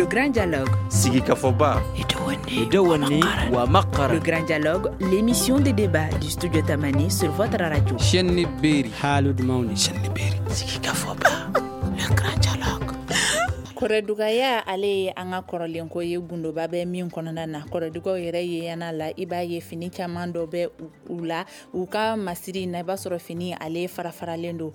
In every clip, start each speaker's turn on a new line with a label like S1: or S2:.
S1: Le Grand Dialogue.
S2: Sigikafɔba.
S1: Le Grand Dialogue, l'émission de débat du studio Tamani sur votre radio.
S3: Chaîne Beri.
S4: Haalude mawni.
S1: Sigikafɔba. Le Grand Dialogue. Kɔrɔdugaya ale ye an ka kɔrɔlenko ye, gundoba bɛ min kɔnɔna na. Kɔrɔdugaw yɛrɛ ye yana la, i b'a ye fini caman dɔ bɛ u la, u ka masiri na, i b'a sɔrɔ fini ale fara faralen don,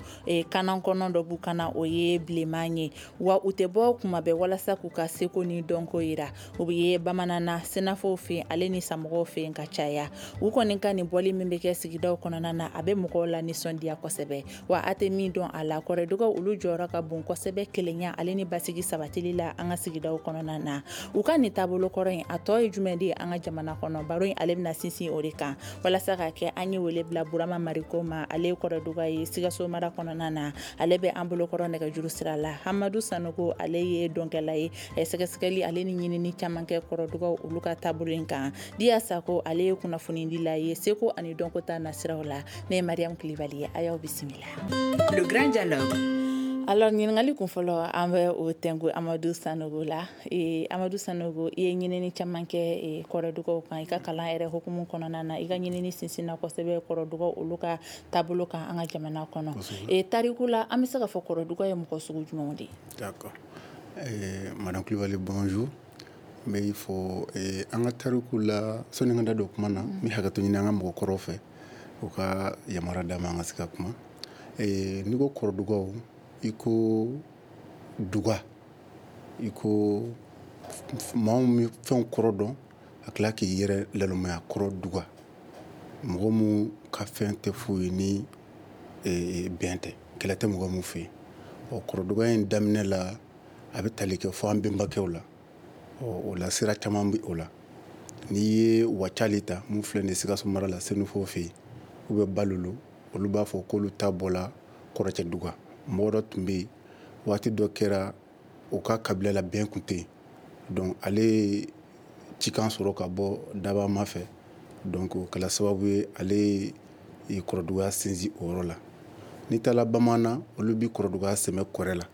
S1: kanan kɔnɔ dɔ b'u kana, o ye bilenman ye. Wa u tɛ bɔ kuma bɛɛ walasa k'u ka seko ni dɔnko yira. U bɛ ye bamanan na, sɛnɛfɔw fɛ ale ni samɔgɔw fɛ ka caya. U kɔni ka nin bɔli min bɛ kɛ sigidaw kɔnɔna na, a bɛ mɔgɔw la nisɔndiya kosɛbɛ. Wa a tɛ min dɔn a la, kɔrɔdugaw olu jɔyɔrɔ ka bon kosɛbɛ kelenya ale ni basigi sabatili la an ka sigidaw kɔnɔna na. U ka nin taabolo kɔrɔ in, a tɔ ye jumɛn de ye an ka jamana kɔnɔ? Baro in ale bɛna sinsin o de kan. Walasa ka kɛ, an ye wele bila Burama Mariko ma, ale ye kɔrɔduga ye Sikaso mara kɔnɔna na, ale bɛ an bolokɔrɔ nɛgɛjuru sira la. Hamadu Sanogo, ale ye dɔnkɛla ye, sɛgɛsɛgɛli ale ni ɲinini caman kɛ kɔrɔdugaw olu ka taabolo in kan. Diya Sako, ale ye kunnafonidila ye seko ani dɔnko ta nasiraw la. Ne ye Mariam Kulibali ye, a y'aw bisimila. Le Grand Dialogue. Alors, ɲininkali kun fɔlɔ, an bɛ o tɛnku Amadu Sanogo la. Amadu Sanogo, i ye ɲinini caman kɛ kɔrɔdugaw kan i ka kalan yɛrɛ hukumu kɔnɔna na. I ka ɲinini sinsinna kosɛbɛ kɔrɔdugaw olu ka taabolo kan an ka jamana kɔnɔ. Tariku la, an bɛ se k'a fɔ kɔrɔdugaw ye mɔgɔ sugu jumɛnw de ye?
S5: D'accord. Madame Kulibali, bonjour. N bɛ fɔ an ka tariku la, sɔnni n ka da don kuma na, n bɛ hakɛto ɲini an ka mɔgɔkɔrɔw fɛ, u ka yamaruya d'an ma an ka se ka kuma. N'i ko kɔrɔdugaw, i ko duga, i ko maa min fɛnw kɔrɔ dɔn, a tila k'i yɛrɛ lalomaya kɔrɔ duga, mɔgɔ mun ka fɛn tɛ foyi ni bɛn tɛ, kɛlɛ tɛ mɔgɔ mun fɛ yen. Ɔ, kɔrɔduga in daminɛ la, a bɛ tali kɛ fo an bɛnbakɛw la. Ɔ, o la sira caman bɛ o la. N'i ye Wacali ta, mun filɛ nin ye Sikaso mara la, Senufo fɛ yen, u bɛ Balolo, olu b'a fɔ k'olu ta bɔla Kɔrɔcɛ duga. Mɔgɔ dɔ tun bɛ yen, waati dɔ kɛra u ka kabila la bɛn tun tɛ yen, donc ale ye cikan sɔrɔ ka bɔ dabama fɛ, donc o kɛla sababu ye ale ye kɔrɔdugaya sinsin o yɔrɔ la. N'i taara bamanan, olu bɛ kɔrɔdugaya sɛmɛ kɔrɛ la.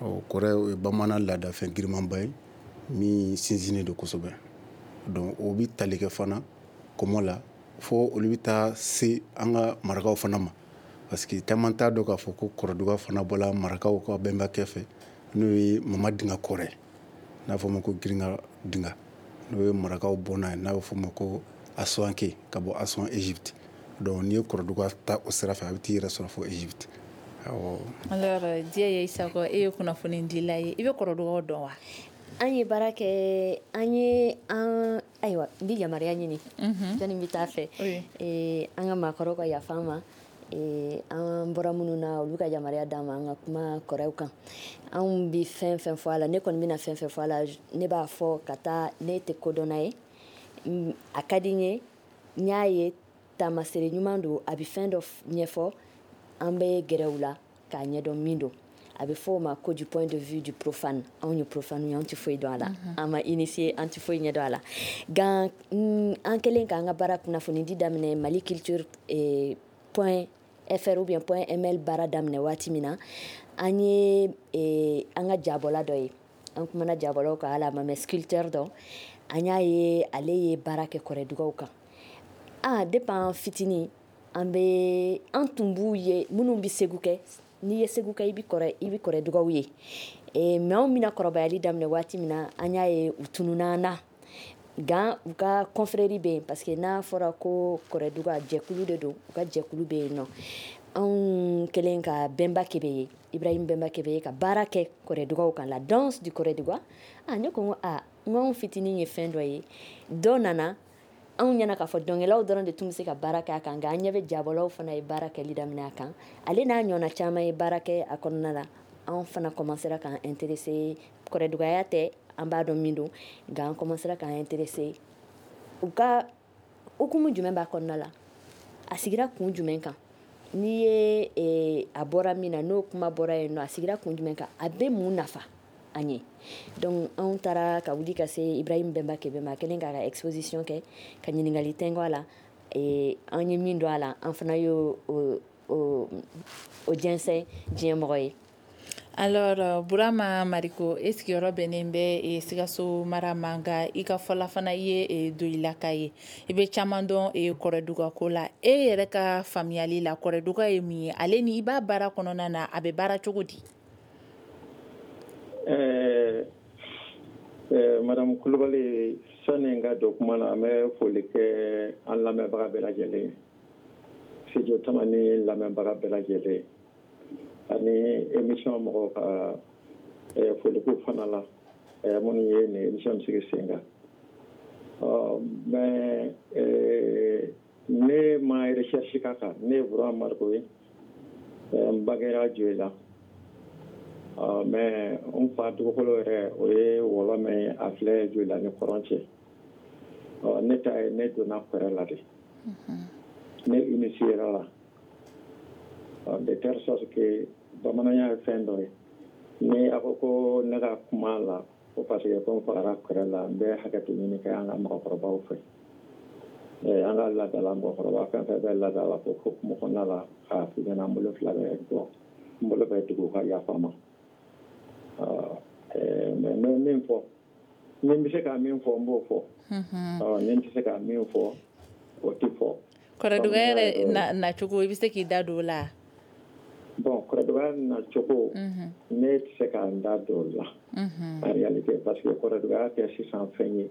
S5: Ɔ, kɔrɛ, o ye bamanan laadafɛn girimanba ye min sinsinnen don kosɛbɛ. Donc o bɛ tali kɛ fana kɔmɔ la, fo olu bɛ taa se an ka marakaw fana ma, parce que caman t'a dɔn k'a fɔ ko kɔrɔduga fana bɔla marakaw ka bɛnbakɛ fɛ, n'o ye Mama Dinga Kɔrɛ, n'a fɔ ma ko Giringa Dinga, n'o ye marakaw bɔnna ye, n'a bɛ fɔ ma ko Asuwanke, ka bɔ Asuwan, Égypte. Donc n'i ye kɔrɔduga ta o sira fɛ, a bɛ t'i yɛrɛ sɔrɔ fo Égypte. Awɔ.
S1: Alors, Diya Isako, e ye kunnafonidila ye, i bɛ kɔrɔdugaw dɔn wa?
S6: An ye baara kɛ, an ye an, ayiwa, n bɛ yamaruya ɲini yanni n bɛ taa fɛ, an ka maakɔrɔw ka yafa an ma, an bɔra minnu na, olu ka yamaruya d'an ma an ka kuma kɔrɔw kan. Anw bɛ fɛn fɛn fɔ a la, ne kɔni bɛna fɛn fɛn fɔ a la, ne b'a fɔ ka taa, ne tɛ kodɔnna ye, a ka di n ye, n y'a ye taamasere ɲuman don, a bɛ fɛn dɔ ɲɛfɔ, an bɛ gɛrɛ u la k'a ɲɛdɔn min don. A bɛ fɔ o ma ko du point de vue du profane. Anw ye profane ye, anw tɛ foyi dɔn a la, an ma initié, an tɛ foyi ɲɛdɔn a la. Nka an kɛlen k'an ka baara kunnafonidi daminɛ, Mali culture point fr ou bien point ml baara daminɛ waati min na, an ye an ka jabɔla dɔ ye, an kumana jabɔlaw kan, hali a ma mɛn, sculpteur dɔ, an y'a ye ale ye baara kɛ kɔrɔdugaw kan. Ah, depuis an fitinin, an bɛ an tun b'u ye minnu bɛ Segu kɛ, n'i ye Segu kɛ, i bɛ kɔrɔ, i bɛ kɔrɔdugaw ye. Mais anw bɛna kɔrɔbayali daminɛ waati min na, an y'a ye u tununna an na. Nka u ka confrérie bɛ yen, parce que n'a fɔra ko kɔrɔduga, jɛkulu de don, u ka jɛkulu bɛ yen nɔ. Anw kɛlen ka Bɛnba Kebe ye, Ibrahim Bɛnba Kebe ye, ka baara kɛ kɔrɔdugaw kan, la danse du kɔrɔduga. Ah, ne ko n ko ah, n ko anw fitinin ye fɛn dɔ ye, dɔ nana anw ɲɛna k'a fɔ dɔnkɛlaw dɔrɔn de tun bɛ se ka baara kɛ a kan, nka an ɲɛ bɛ jabɔlaw fana ye baara kɛli daminɛ a kan, ale n'a ɲɔgɔnna caman ye baara kɛ a kɔnɔna la. Anw fana commencera k'an intéressé, kɔrɔdugaya tɛ, an b'a dɔn min don, nka an commencera k'an intéressé u ka hukumu jumɛn b'a kɔnɔna la, a sigira kun jumɛn kan, n'i ye a bɔra min na, n'o kuma bɔra yen nɔ, a sigira kun jumɛn kan, a bɛ mun nafa an ye. Donc anw taara ka wuli ka se Ibrahim Bɛnba Kebe ma, kɛlen k'a ka exposition kɛ, ka ɲininkali tɛnkɔ a la, an ye min dɔn a la, an fana y'o o jɛnsɛn diɲɛ mɔgɔ ye.
S1: Alors Burama Mariko, e sigiyɔrɔ bɛnnen bɛ Sikaso mara ma, nka i ka fɔla fana i ye Doyilaka ye. I bɛ caman dɔn Kɔrɔduga ko la. E yɛrɛ ka faamuyali la, Kɔrɔduga ye mun ye? Ale ni i b'a baara kɔnɔna na, a bɛ baara cogo di?
S2: Madame Kulubali, sani n ka don kuma na, an bɛ foli kɛ an lamɛnbaga bɛɛ lajɛlen, Studio Tamani lamɛnbaga bɛɛ lajɛlen, ani émission mɔgɔw ka foliko fana la, minnu ye nin émission sigi sen kan. Mais ne ma recherche k'a kan. Ne ye Burama Mariko ye, n bangera Joyila, mais n fa dugukolo yɛrɛ, o ye Wɔlɔmɛ ye, a filɛ Joyila ni kɔrɔn cɛ. Ne ta ye, ne donna kɔrɛ la de, ne initié la de telle sorte que bamananya ye fɛn dɔ ye. Ni a ko ko ne ka kuma la ko parce que ko n fagara kɔrɛ la, n bɛ hakɛto ɲini kɛ an ka mɔgɔkɔrɔbaw fɛ, an ka laadala mɔgɔkɔrɔba fɛn fɛn bɛ laadala ko hukumu kɔnɔna la, k'a f'i ɲɛna, n bolo fila bɛ bɔ, n bolo bɛ dugu ka yafa ma. Mais n bɛ min fɔ, ni n bɛ se ka min fɔ, n b'o fɔ. Ni n tɛ se ka min fɔ, o tɛ fɔ.
S1: Kɔrɔduga yɛrɛ nacogo, i bɛ se k'i da don o la?
S2: Bon, kɔrɔduga nacogo, ne tɛ se ka n da don o la en réalité, parce que kɔrɔduga tɛ sisan fɛn ye.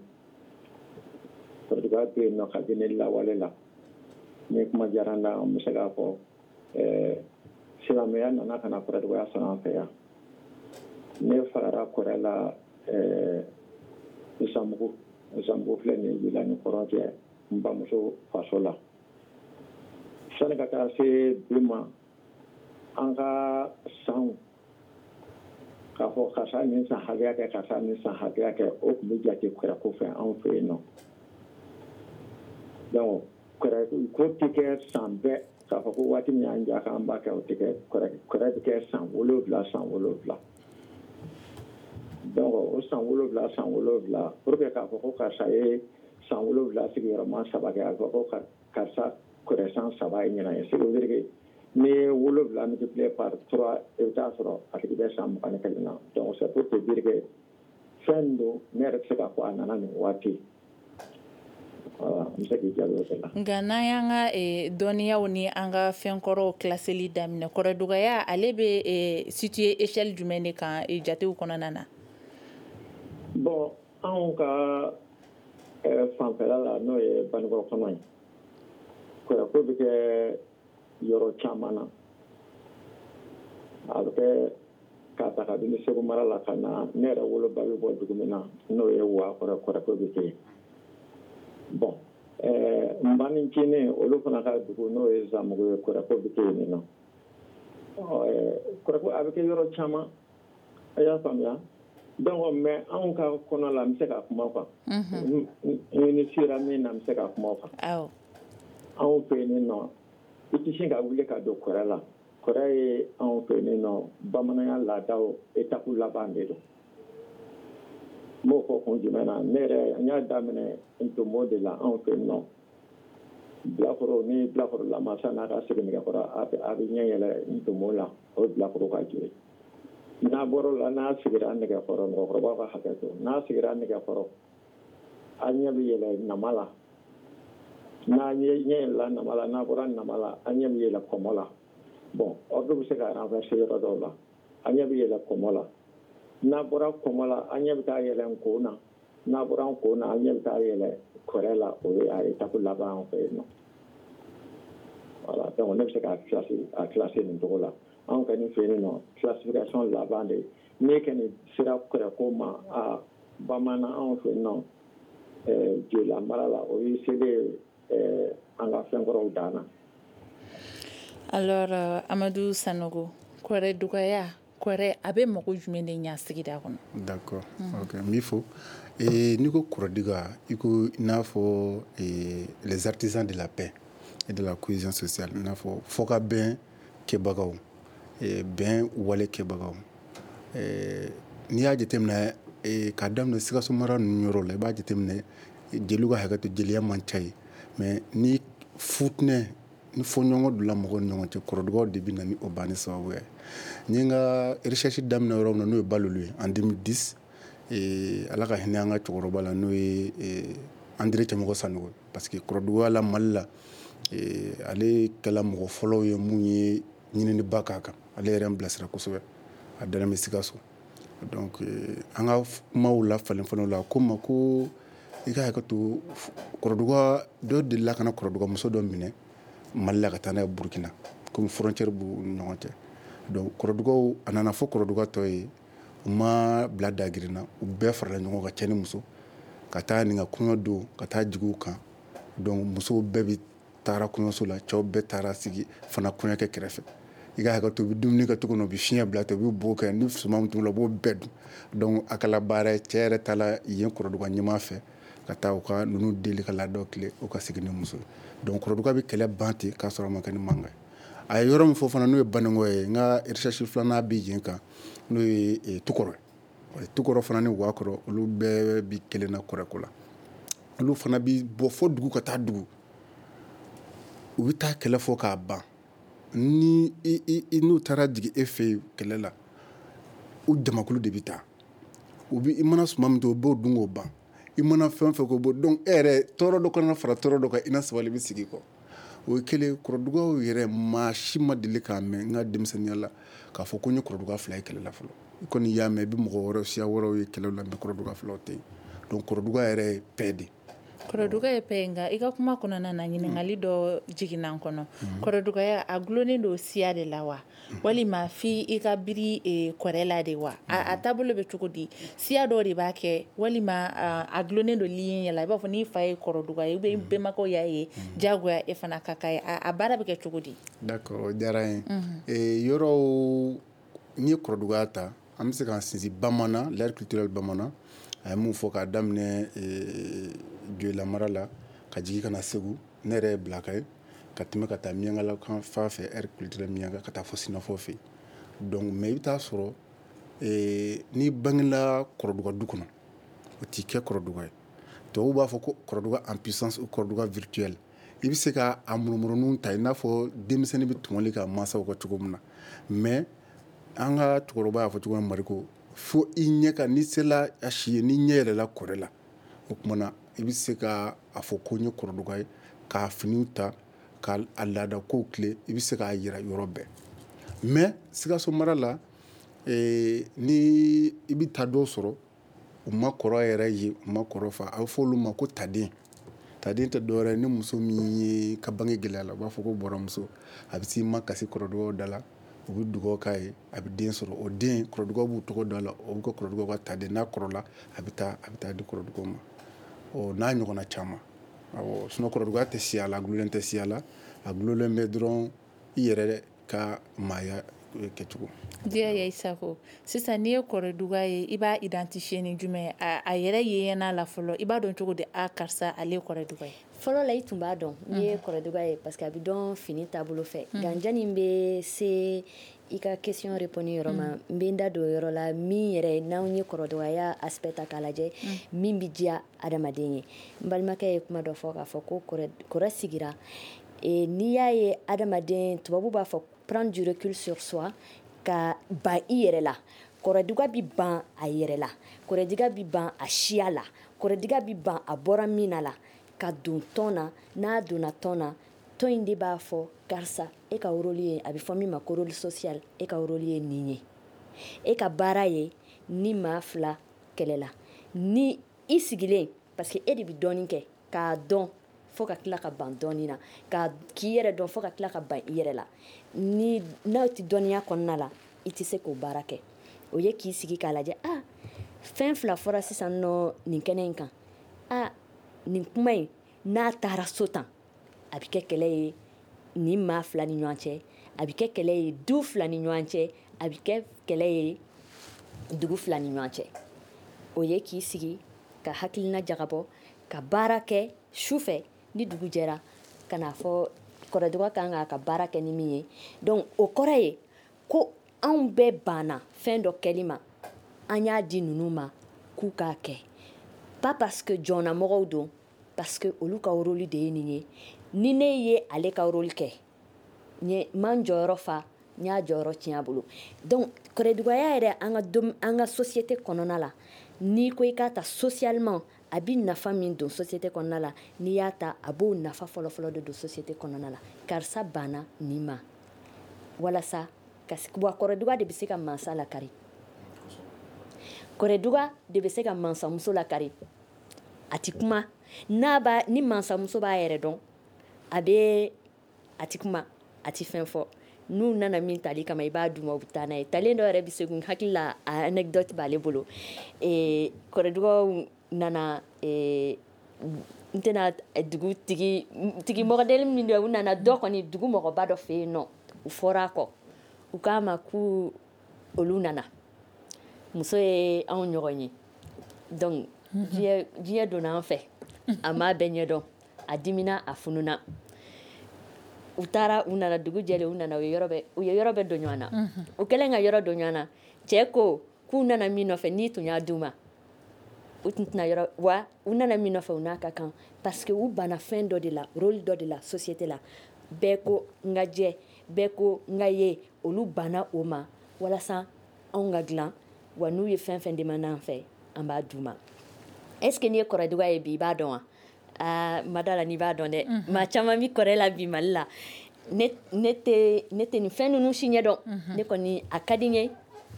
S2: Kɔrɔduga bɛ yen nɔ kabini lawale la. Ni kuma diyara n na, n bɛ se k'a fɔ silamɛya nana ka na kɔrɔdugaya sɔrɔ an fɛ yan. Ne fagara kɔrɛ la Zanbugu. Zanbugu filɛ nin ye Joyila ni kɔrɔn cɛ, n bamuso faso la. Sani ka taa se bi ma, an ka sanw k'a fɔ karisa nin san hakɛya kɛ, karisa nin san hakɛya kɛ, o tun bɛ jate kɔrɛ ko fɛ anw fɛ yen nɔ. Donc kɔrɛ ko tɛ kɛ san bɛɛ k'a fɔ ko waati min y'an ja k'an b'a kɛ, o tɛ kɛ. Kɔrɛ bɛ kɛ san 7 san 7. Donc o san 7 san 7, pour que k'a fɔ ko karisa ye san 7 sigiyɔrɔma 3 kɛ, a bɛ fɔ ko karisa kɔrɛ san 3 ye ɲinan ye. Ce qui veut dire que n'i ye 7 multiplié par 3, i bɛ taa sɔrɔ a tigi bɛ san 21 na. Donc c'est pour te dire que fɛn don, ne yɛrɛ tɛ se k'a fɔ a nana nin waati. Voilà, n bɛ se k'i jaabi o de la.
S1: Nka n'an y'an ka dɔnniyaw ni an ka fɛnkɔrɔw claseli daminɛ, kɔrɔdugaya ale bɛ situé échelle jumɛn de kan jatew kɔnɔna na?
S2: Bon, anw ka fanfɛla la, n'o ye Banikɔrɔ kɔnɔ ye, kɔrɔko bɛ kɛ yɔrɔ caman na. A bɛ kɛ k'a ta kabini Segu mara la ka na ne yɛrɛ woloba bɛ bɔ dugu min na, n'o ye Wakɔrɔ, kɔrɔko bɛ kɛ yen. Bon, n banicinin olu fana ka dugu, n'o ye Zanbugu ye, kɔrɔko bɛ kɛ yen nɔ. Kɔrɔko a bɛ kɛ yɔrɔ caman, a y'a faamuya. Donc mais anw ka kɔnɔ la, n bɛ se ka kuma quoi. Ni sera min na, n bɛ se ka kuma kan. Anw fɛ yen nɔ, i tɛ sin ka wuli ka don kɔrɛ la. Kɔrɛ ye anw fɛ yen nɔ bamananya laadaw étape laban de don. N b'o fɔ kun jumɛn na? Ne yɛrɛ, n y'a daminɛ ntomo de la anw fɛ yen nɔ. Bilakoro ni bilakoro lamasa n'a ka seginnɛgɛkɔrɔ, a bɛ ɲɛ yɛlɛ ntomo la, o ye bilakoro ka jo ye. N'a bɔra o la, n'a sigira nɛgɛkɔrɔ, mɔgɔkɔrɔbaw ka hakɛ to, n'a sigira nɛgɛkɔrɔ, a ɲɛ bɛ yɛlɛ nama la. N'a ɲɛ yɛlɛla nama la, n'a bɔra nama la, a ɲɛ bɛ yɛlɛ kɔmɔ la. Bon, ordre bɛ se ka renverser yɔrɔ dɔw la. A ɲɛ bɛ yɛlɛ kɔmɔ la. N'a bɔra kɔmɔ la, a ɲɛ bɛ taa yɛlɛ nko na. N'a bɔra nko na, a ɲɛ bɛ taa yɛlɛ kɔrɛ la, o ye a étape laban an fɛ yen nɔ. Voilà, donc ne bɛ se k'a classer nin cogo la. Anw kɔni fɛ yen nɔ, classification laban de ye. N'e kɔni sera kɔrɛko ma, a bamanan anw fɛ yen nɔ, Joyila mara la, o ye selen an ka fɛnkɔrɔw dan na.
S1: Alors Amadu Sanogo, kɔrɛ dugaya, kɔrɛ a bɛ mago jumɛn de ɲa sigida kɔnɔ?
S5: D'accord, ok, n b'i fo. N'i ko kɔrɔduga, i ko i n'a fɔ les artisans de la paix et de la cohésion sociale, i n'a fɔ fɔkabɛn kɛbagaw, bɛn wale kɛbagaw. N'i y'a jateminɛ k'a daminɛ Sikaso mara ninnu yɔrɔ la, i b'a jateminɛ jeliw ka hakɛ to, jeliya man ca yen, mais ni futinɛ Ni fɔɲɔgɔnkɔ donna mɔgɔw ni ɲɔgɔn cɛ, kɔrɔdugaw de bɛ na ni o banni sababu ye. N ye n ka recherche daminɛ yɔrɔ min na, n'o ye Balolu ye en 2010, Ala ka hinɛ an ka cɛkɔrɔba la, n'o ye André Cɛmɔgɔ Sanogo, parce que kɔrɔduga la Mali la, ale kɛla mɔgɔ fɔlɔw ye mun ye ɲininiba k'a kan. Ale yɛrɛ n bilasira kosɛbɛ, a dalen bɛ Sikaso. Donc an ka kumaw la falen falenw la, a ko n ma ko i ka hakɛ to, kɔrɔduga dɔ delila ka na kɔrɔdugamuso dɔ minɛ Mali la ka taa n'a ye Burukina, komi frontière b'u ni ɲɔgɔn cɛ. Donc kɔrɔdugaw, a nana fɔ kɔrɔduga tɔ ye, u ma bila dagirin na, u bɛɛ farala ɲɔgɔn kan, cɛ ni muso, ka taa nin ka kɔɲɔ don, ka taa jigin u kan. Donc musow bɛɛ bi taara kɔɲɔso la, cɛw bɛɛ taara sigi fana kɔɲɔkɛ kɛrɛfɛ. I ka hakɛ to, u bɛ dumuni kɛ cogo min na, u bɛ fiɲɛ bila ten, u bɛ bo kɛ ni suman min t'u la, u b'o bɛɛ dun. Donc a kɛla baara ye, cɛ yɛrɛ taara yen kɔrɔduga ɲɛmaa fɛ ka taa u ka ninnu deli ka laadaw tile, u ka segin ni muso ye. Donc kɔrɔduga bɛ kɛlɛ ban ten k'a sɔrɔ a ma kɛ ni mankan ye. A ye yɔrɔ min fɔ fana, n'o ye Banikɔ ye, n ka recherche filanan bɛ yen kan, n'o ye Tukɔrɔ ye. Tukɔrɔ fana ni Wakɔrɔ, olu bɛɛ bi kelen na kɔrɔko la. Olu fana bi bɔ fo dugu ka taa dugu, u bɛ taa kɛlɛ fɔ k'a ban. Ni i n'u taara jigin e fɛ yen kɛlɛ la, u jamakulu de bɛ taa. U bɛ i mana suman min to, u b'o dun k'o ban. I mana fɛn fɛn k'o bɔ, donc e yɛrɛ tɔɔrɔ dɔ kana fara tɔɔrɔ dɔ kan, i na sabali bɛ sigi kɔ. O ye kelen. Kɔrɔdugaw yɛrɛ, maa si ma deli k'a mɛn n ka denmisɛnninya la k'a fɔ ko n ye kɔrɔduga fila ye kɛlɛ la fɔlɔ. I kɔni y'a mɛn, i bɛ mɔgɔ wɛrɛw, siya wɛrɛw ye kɛlɛ la, mais kɔrɔduga filaw tɛ yen. Donc kɔrɔduga yɛrɛ ye paix de.
S1: Kɔrɔduga ye paix. Nka i ka kuma kɔnɔna na, ɲininkali dɔ jiginna n kɔnɔ. Kɔrɔdugaya a gulonnen don siya de la wa, walima fi i ka biri kɔrɛ la de wa? A taabolo bɛ cogo di? Siya dɔw de b'a kɛ, walima a gulonnen don lignée la, i b'a fɔ n'i fa ye kɔrɔduga ye ou bien bɛnbakɛw y'a ye, diyagoya e fana ka k'a ye? A baara bɛ kɛ cogo di?
S5: D'accord, o diyara n ye. Yɔrɔw, n'i ye kɔrɔdugaya ta, an bɛ se k'an sinsin bamanan, l'aire culturelle bamanan. A ye mun fɔ k'a daminɛ Joyila mara la ka jigin ka na Segu, ne yɛrɛ ye Bilaka ye, ka tɛmɛ ka taa Miyankala kan fan fɛ, aire culturelle Miyanka, ka taa fɔ Sinafɔ fɛ yen. Donc mais i bɛ taa sɔrɔ n'i bangela kɔrɔduga du kɔnɔ, o t'i kɛ kɔrɔduga ye. Tubabuw b'a fɔ ko kɔrɔduga en puissance ou kɔrɔduga virtuel. I bɛ se ka a murumuruninw ta i n'a fɔ denmisɛnnin bɛ tɔmɔli k'a mansaw kɔ cogo min na. Mais an ka cɛkɔrɔba y'a fɔ cogo min, Mariko, fo i ɲɛ ka n'i sela a si ye, n'i ɲɛ yɛlɛla kɔrɛ la, o tuma na i bɛ se ka a fɔ ko n ye kɔrɔduga ye, k'a finiw ta, k'a laada kow tile, i bɛ se k'a yira yɔrɔ bɛɛ. Mais Sikaso mara la, ni i bɛ taa dɔw sɔrɔ, u ma kɔrɔ yɛrɛ ye, u ma kɔrɔ fa, a bɛ fɔ olu ma ko taden. Taden tɛ dɔwɛrɛ ye, ni muso min ye ka bange gɛlɛya la, u b'a fɔ ko bɔrɔmuso. A bɛ s'i ma kasi kɔrɔdugaw da la, u bɛ dugawu k'a ye, a bɛ den sɔrɔ. O den, kɔrɔdugaw b'u tɔgɔ da la, o bɛ kɛ kɔrɔdugaw ka taden. N'a kɔrɔla, a bɛ taa di kɔrɔdugaw ma. O n'a ɲɔgɔnna caman. Awɔ, sinon kɔrɔduga tɛ siya la, a gulonnen tɛ siya la, a gulonnen bɛ dɔrɔn i yɛrɛ ka maaya kɛcogo.
S1: Diya ya Isako, sisan n'i ye kɔrɔduga ye, i b'a identifier ni jumɛn ye? A yɛrɛ ye la fɔlɔ, i b'a dɔn cogo di a karisa, ale ye kɔrɔduga ye?
S6: Fɔlɔ la, i tun b'a dɔn n'i ye kɔrɔduga ye, parce que a bɛ dɔn fini taabolo fɛ. Nka janni bɛ se i ka question répondre yɔrɔ ma, n bɛ n da don o yɔrɔ la min yɛrɛ n'anw ye kɔrɔdugaya aspect ta k'a lajɛ, min bɛ diya adamaden ye. N balimakɛ ye kuma dɔ fɔ k'a fɔ ko kɔrɔ sigira. N'i y'a ye adamaden, tubabu b'a fɔ prendre du recul sur soi, ka ban i yɛrɛ la. Kɔrɔduga bi ban a yɛrɛ la, kɔrɔduga bi ban a siya la, kɔrɔduga bi ban a bɔra min na la, ka don tɔn na. N'a donna tɔn na, tɔn in de b'a fɔ karisa, e ka rôle ye, a bɛ fɔ min ma ko rôle social, e ka rôle ye nin ye, e ka baara ye ni maa fila kɛlɛla ni i sigilen, parce que e de bɛ dɔɔnin kɛ k'a dɔn fo ka tila ka ban dɔɔnin na, ka k'i yɛrɛ dɔn fo ka tila ka ban i yɛrɛ la. Ni n'aw tɛ dɔnniya kɔnɔna la, i tɛ se k'o baara kɛ. O ye k'i sigi k'a lajɛ, ah, fɛn fila fɔra sisan nɔ nin kɛnɛ in kan, ah, nin kuma in n'a taara so tan, a bɛ kɛ kɛlɛ ye nin maa fila ni ɲɔgɔn cɛ, a bɛ kɛ kɛlɛ ye du fila ni ɲɔgɔn cɛ, a bɛ kɛ kɛlɛ ye dugu fila ni ɲɔgɔn cɛ. O ye k'i sigi ka hakilina jagabɔ, ka baara kɛ su fɛ, ni dugu jɛra, ka n'a fɔ kɔrɔdɔgɔ kan k'a ka baara kɛ ni min ye. Donc o kɔrɔ ye ko anw bɛɛ banna fɛn dɔ kɛli ma, an y'a di ninnu ma k'u k'a kɛ, pas parce que jɔnnamɔgɔw don, parce que olu ka rôle de ye nin ye. Ni ne ye ale ka rôle kɛ N man jɔyɔrɔ fa, n y'a jɔyɔrɔ tiɲɛ a bolo. Donc kɔrɔdugaya yɛrɛ, an ka société kɔnɔna la, n'i ko i k'a ta socialement, a bɛ nafa min don société kɔnɔna la, n'i y'a ta, a b'o nafa fɔlɔfɔlɔ de don société kɔnɔna la. Karisa banna nin ma walasa ka wa kɔrɔduga de bɛ se ka mansa lakari, kɔrɔduga de bɛ se ka mansamuso lakari. A ti kuma n'a b'a ni mansamuso b'a yɛrɛ dɔn, a bɛ a ti kuma, a ti fɛn fɔ. N'u nana min tali kama, i b'a d'u ma, u bɛ taa n'a ye. Talen dɔ yɛrɛ bɛ se, hakili la, a anecdote b'ale bolo. Kɔrɔdugaw nana, n tɛna dugu tigi tigi mɔgɔdeli min don, u nana dɔ kɔni dugu mɔgɔba dɔ fɛ yen nɔ, u fɔra a kɔ, u k'a ma k'u olu nana, muso ye anw ɲɔgɔn ye. Donc diɲɛ donna an fɛ, a m'a bɛɛ ɲɛdɔn, a dimina, a fununa. U taara, u nana, dugu jɛlen, u nana, u ye yɔrɔ bɛɛ don ɲɔgɔn na. U kɛlen ka yɔrɔ don ɲɔgɔn na, cɛ ko k'u nana min nɔfɛ, n'i tun y'a d'u ma, u tun tɛna yɔrɔ wa. U nana min nɔfɛ, u n'a ka kan, parce que u banna fɛn dɔ de la, rôle dɔ de la société la. Bɛɛ ko n ka jɛ, bɛɛ ko n ka ye, olu banna o ma walasa anw ka dilan wa. N'u ye fɛn fɛn demande an fɛ, an b'a d'u ma. Est ce que n'i ye kɔrɔduga ye bi, i b'a dɔn wa? Aa, ma da la n'i b'a dɔn dɛ. Maa caman bi kɔrɛ la bi Mali la, ne tɛ nin fɛn ninnu si ɲɛdɔn. Ne kɔni, a ka di n ye,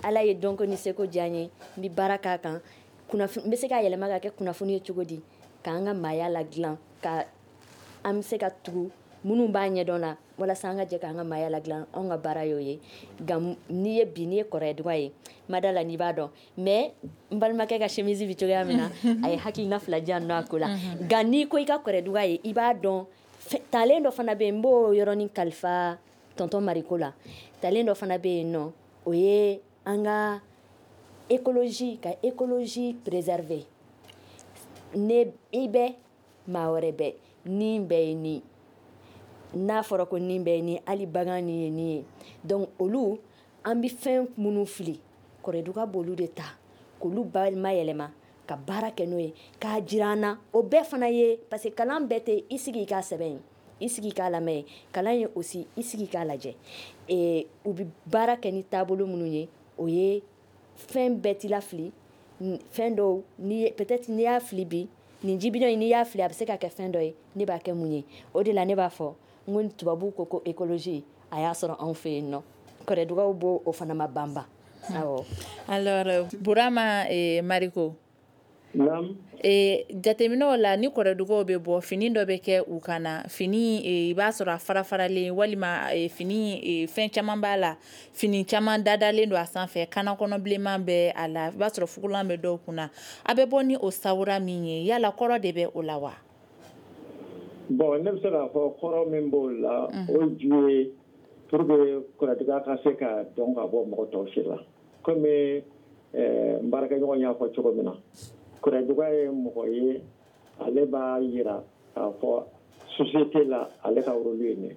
S6: Ala ye dɔnko ni seko diya n ye, n bɛ baara k'a kan. N bɛ se k'a yɛlɛma ka kɛ kunnafoni ye cogo di k'an ka maaya la dilan, ka an bɛ se ka tugu minnu b'a ɲɛdɔn la, walasa an ka jɛ k'an ka maaya la dilan. Anw ka baara y'o ye. Nka n'i ye bi, n'i ye kɔrɔduga ye, ma da la n'i b'a dɔn. Mais n balimakɛ ka chemise bɛ cogoya min na, a ye hakilina fila di yan nɔ a ko la. Nka n'i ko i ka kɔrɔduga ye, i b'a dɔn. Talen dɔ fana bɛ yen, n b'o yɔrɔnin kalifa tonton Mariko la. Talen dɔ fana bɛ yen nɔ, o ye an ka écologie, ka écologie préserver. Ne i bɛ maa wɛrɛ bɛ ni bɛɛ ye, ni n'a fɔra ko nin bɛɛ ye ni, hali bagan ni ye nin ye. Donc olu, an bɛ fɛn minnu fili, kɔrɔduga b'olu de ta k'olu bayɛlɛma ka baara kɛ n'o ye, k'a jira an na. O bɛɛ fana ye, parce que kalan bɛɛ tɛ i sigi i k'a sɛbɛn, i sigi k'a lamɛn. Kalan ye aussi i sigi k'a lajɛ. U bɛ baara kɛ ni taabolo minnu ye, o ye fɛn bɛɛ t'i lafili. Fɛn dɔw ni peut-être n'i y'a fili bi, nin jibidɔn in, n'i y'a fili, a bɛ se ka kɛ fɛn dɔ ye. Ne b'a kɛ mun ye? O de la ne b'a fɔ n ko tubabuw ko écologie, a y'a sɔrɔ anw fɛ yen nɔ, kɔrɔdugaw b'o o fana ma banban, awɔ.
S1: Alors Burama Mariko.
S2: Naam.
S1: Jateminɛw la, ni kɔrɔdugaw bɛ bɔ, fini dɔ bɛ kɛ u kan na, fini i b'a sɔrɔ a fara faralen, walima fini fɛn caman b'a la, fini caman dadalen don a sanfɛ, kana kɔnɔ bilenman bɛ a la, i b'a sɔrɔ fugulan bɛ dɔw kunna. A bɛ bɔ ni o sawura min ye, yala kɔrɔ de bɛ o la wa?
S2: Bon, ne bɛ se k'a fɔ kɔrɔ min b'o la, o ju ye pour que kɔrɔduga ka se ka dɔn ka bɔ mɔgɔ tɔw si la. Komi n baarakɛɲɔgɔn y'a fɔ cogo min na, kɔrɔduga ye mɔgɔ ye, ale b'a yira k'a fɔ société la, ale ka rôle ye nin ye.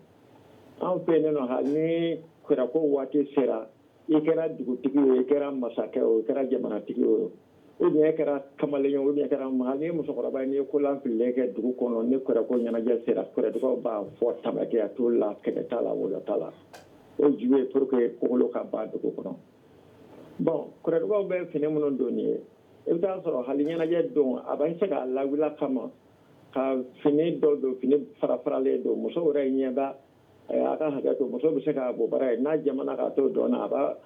S2: Anw fɛ yen nɔ, hali ni kɔrɔko waati sera, i kɛra dugutigi ye, i kɛra masakɛ o, i kɛra jamanatigi o, ou bien e kɛra kamalen ye, ou bien e kɛra hali ni ye musokɔrɔba ye, n'i ye kolan fililen kɛ dugu kɔnɔ, ni kɔrɔko ɲɛnajɛ sera, kɔrɔdugaw b'a fɔ tamakɛya t'o la, kɛlɛ t'a la, wɔyɔ t'a la. O ju ye pour que kokolo ka ban dugu kɔnɔ. Bon, kɔrɔdugaw bɛ fini minnu don nin ye, i bɛ taa sɔrɔ hali ɲɛnajɛ don, a bɛ se k'a lawuli kama ka fini dɔ don, fini fara faralen don. Musow yɛrɛ ɲɛ b'a, a ka hakɛ to, muso bɛ se k'a bɔ baara ye n'a jamana ka to dɔn na, a b'a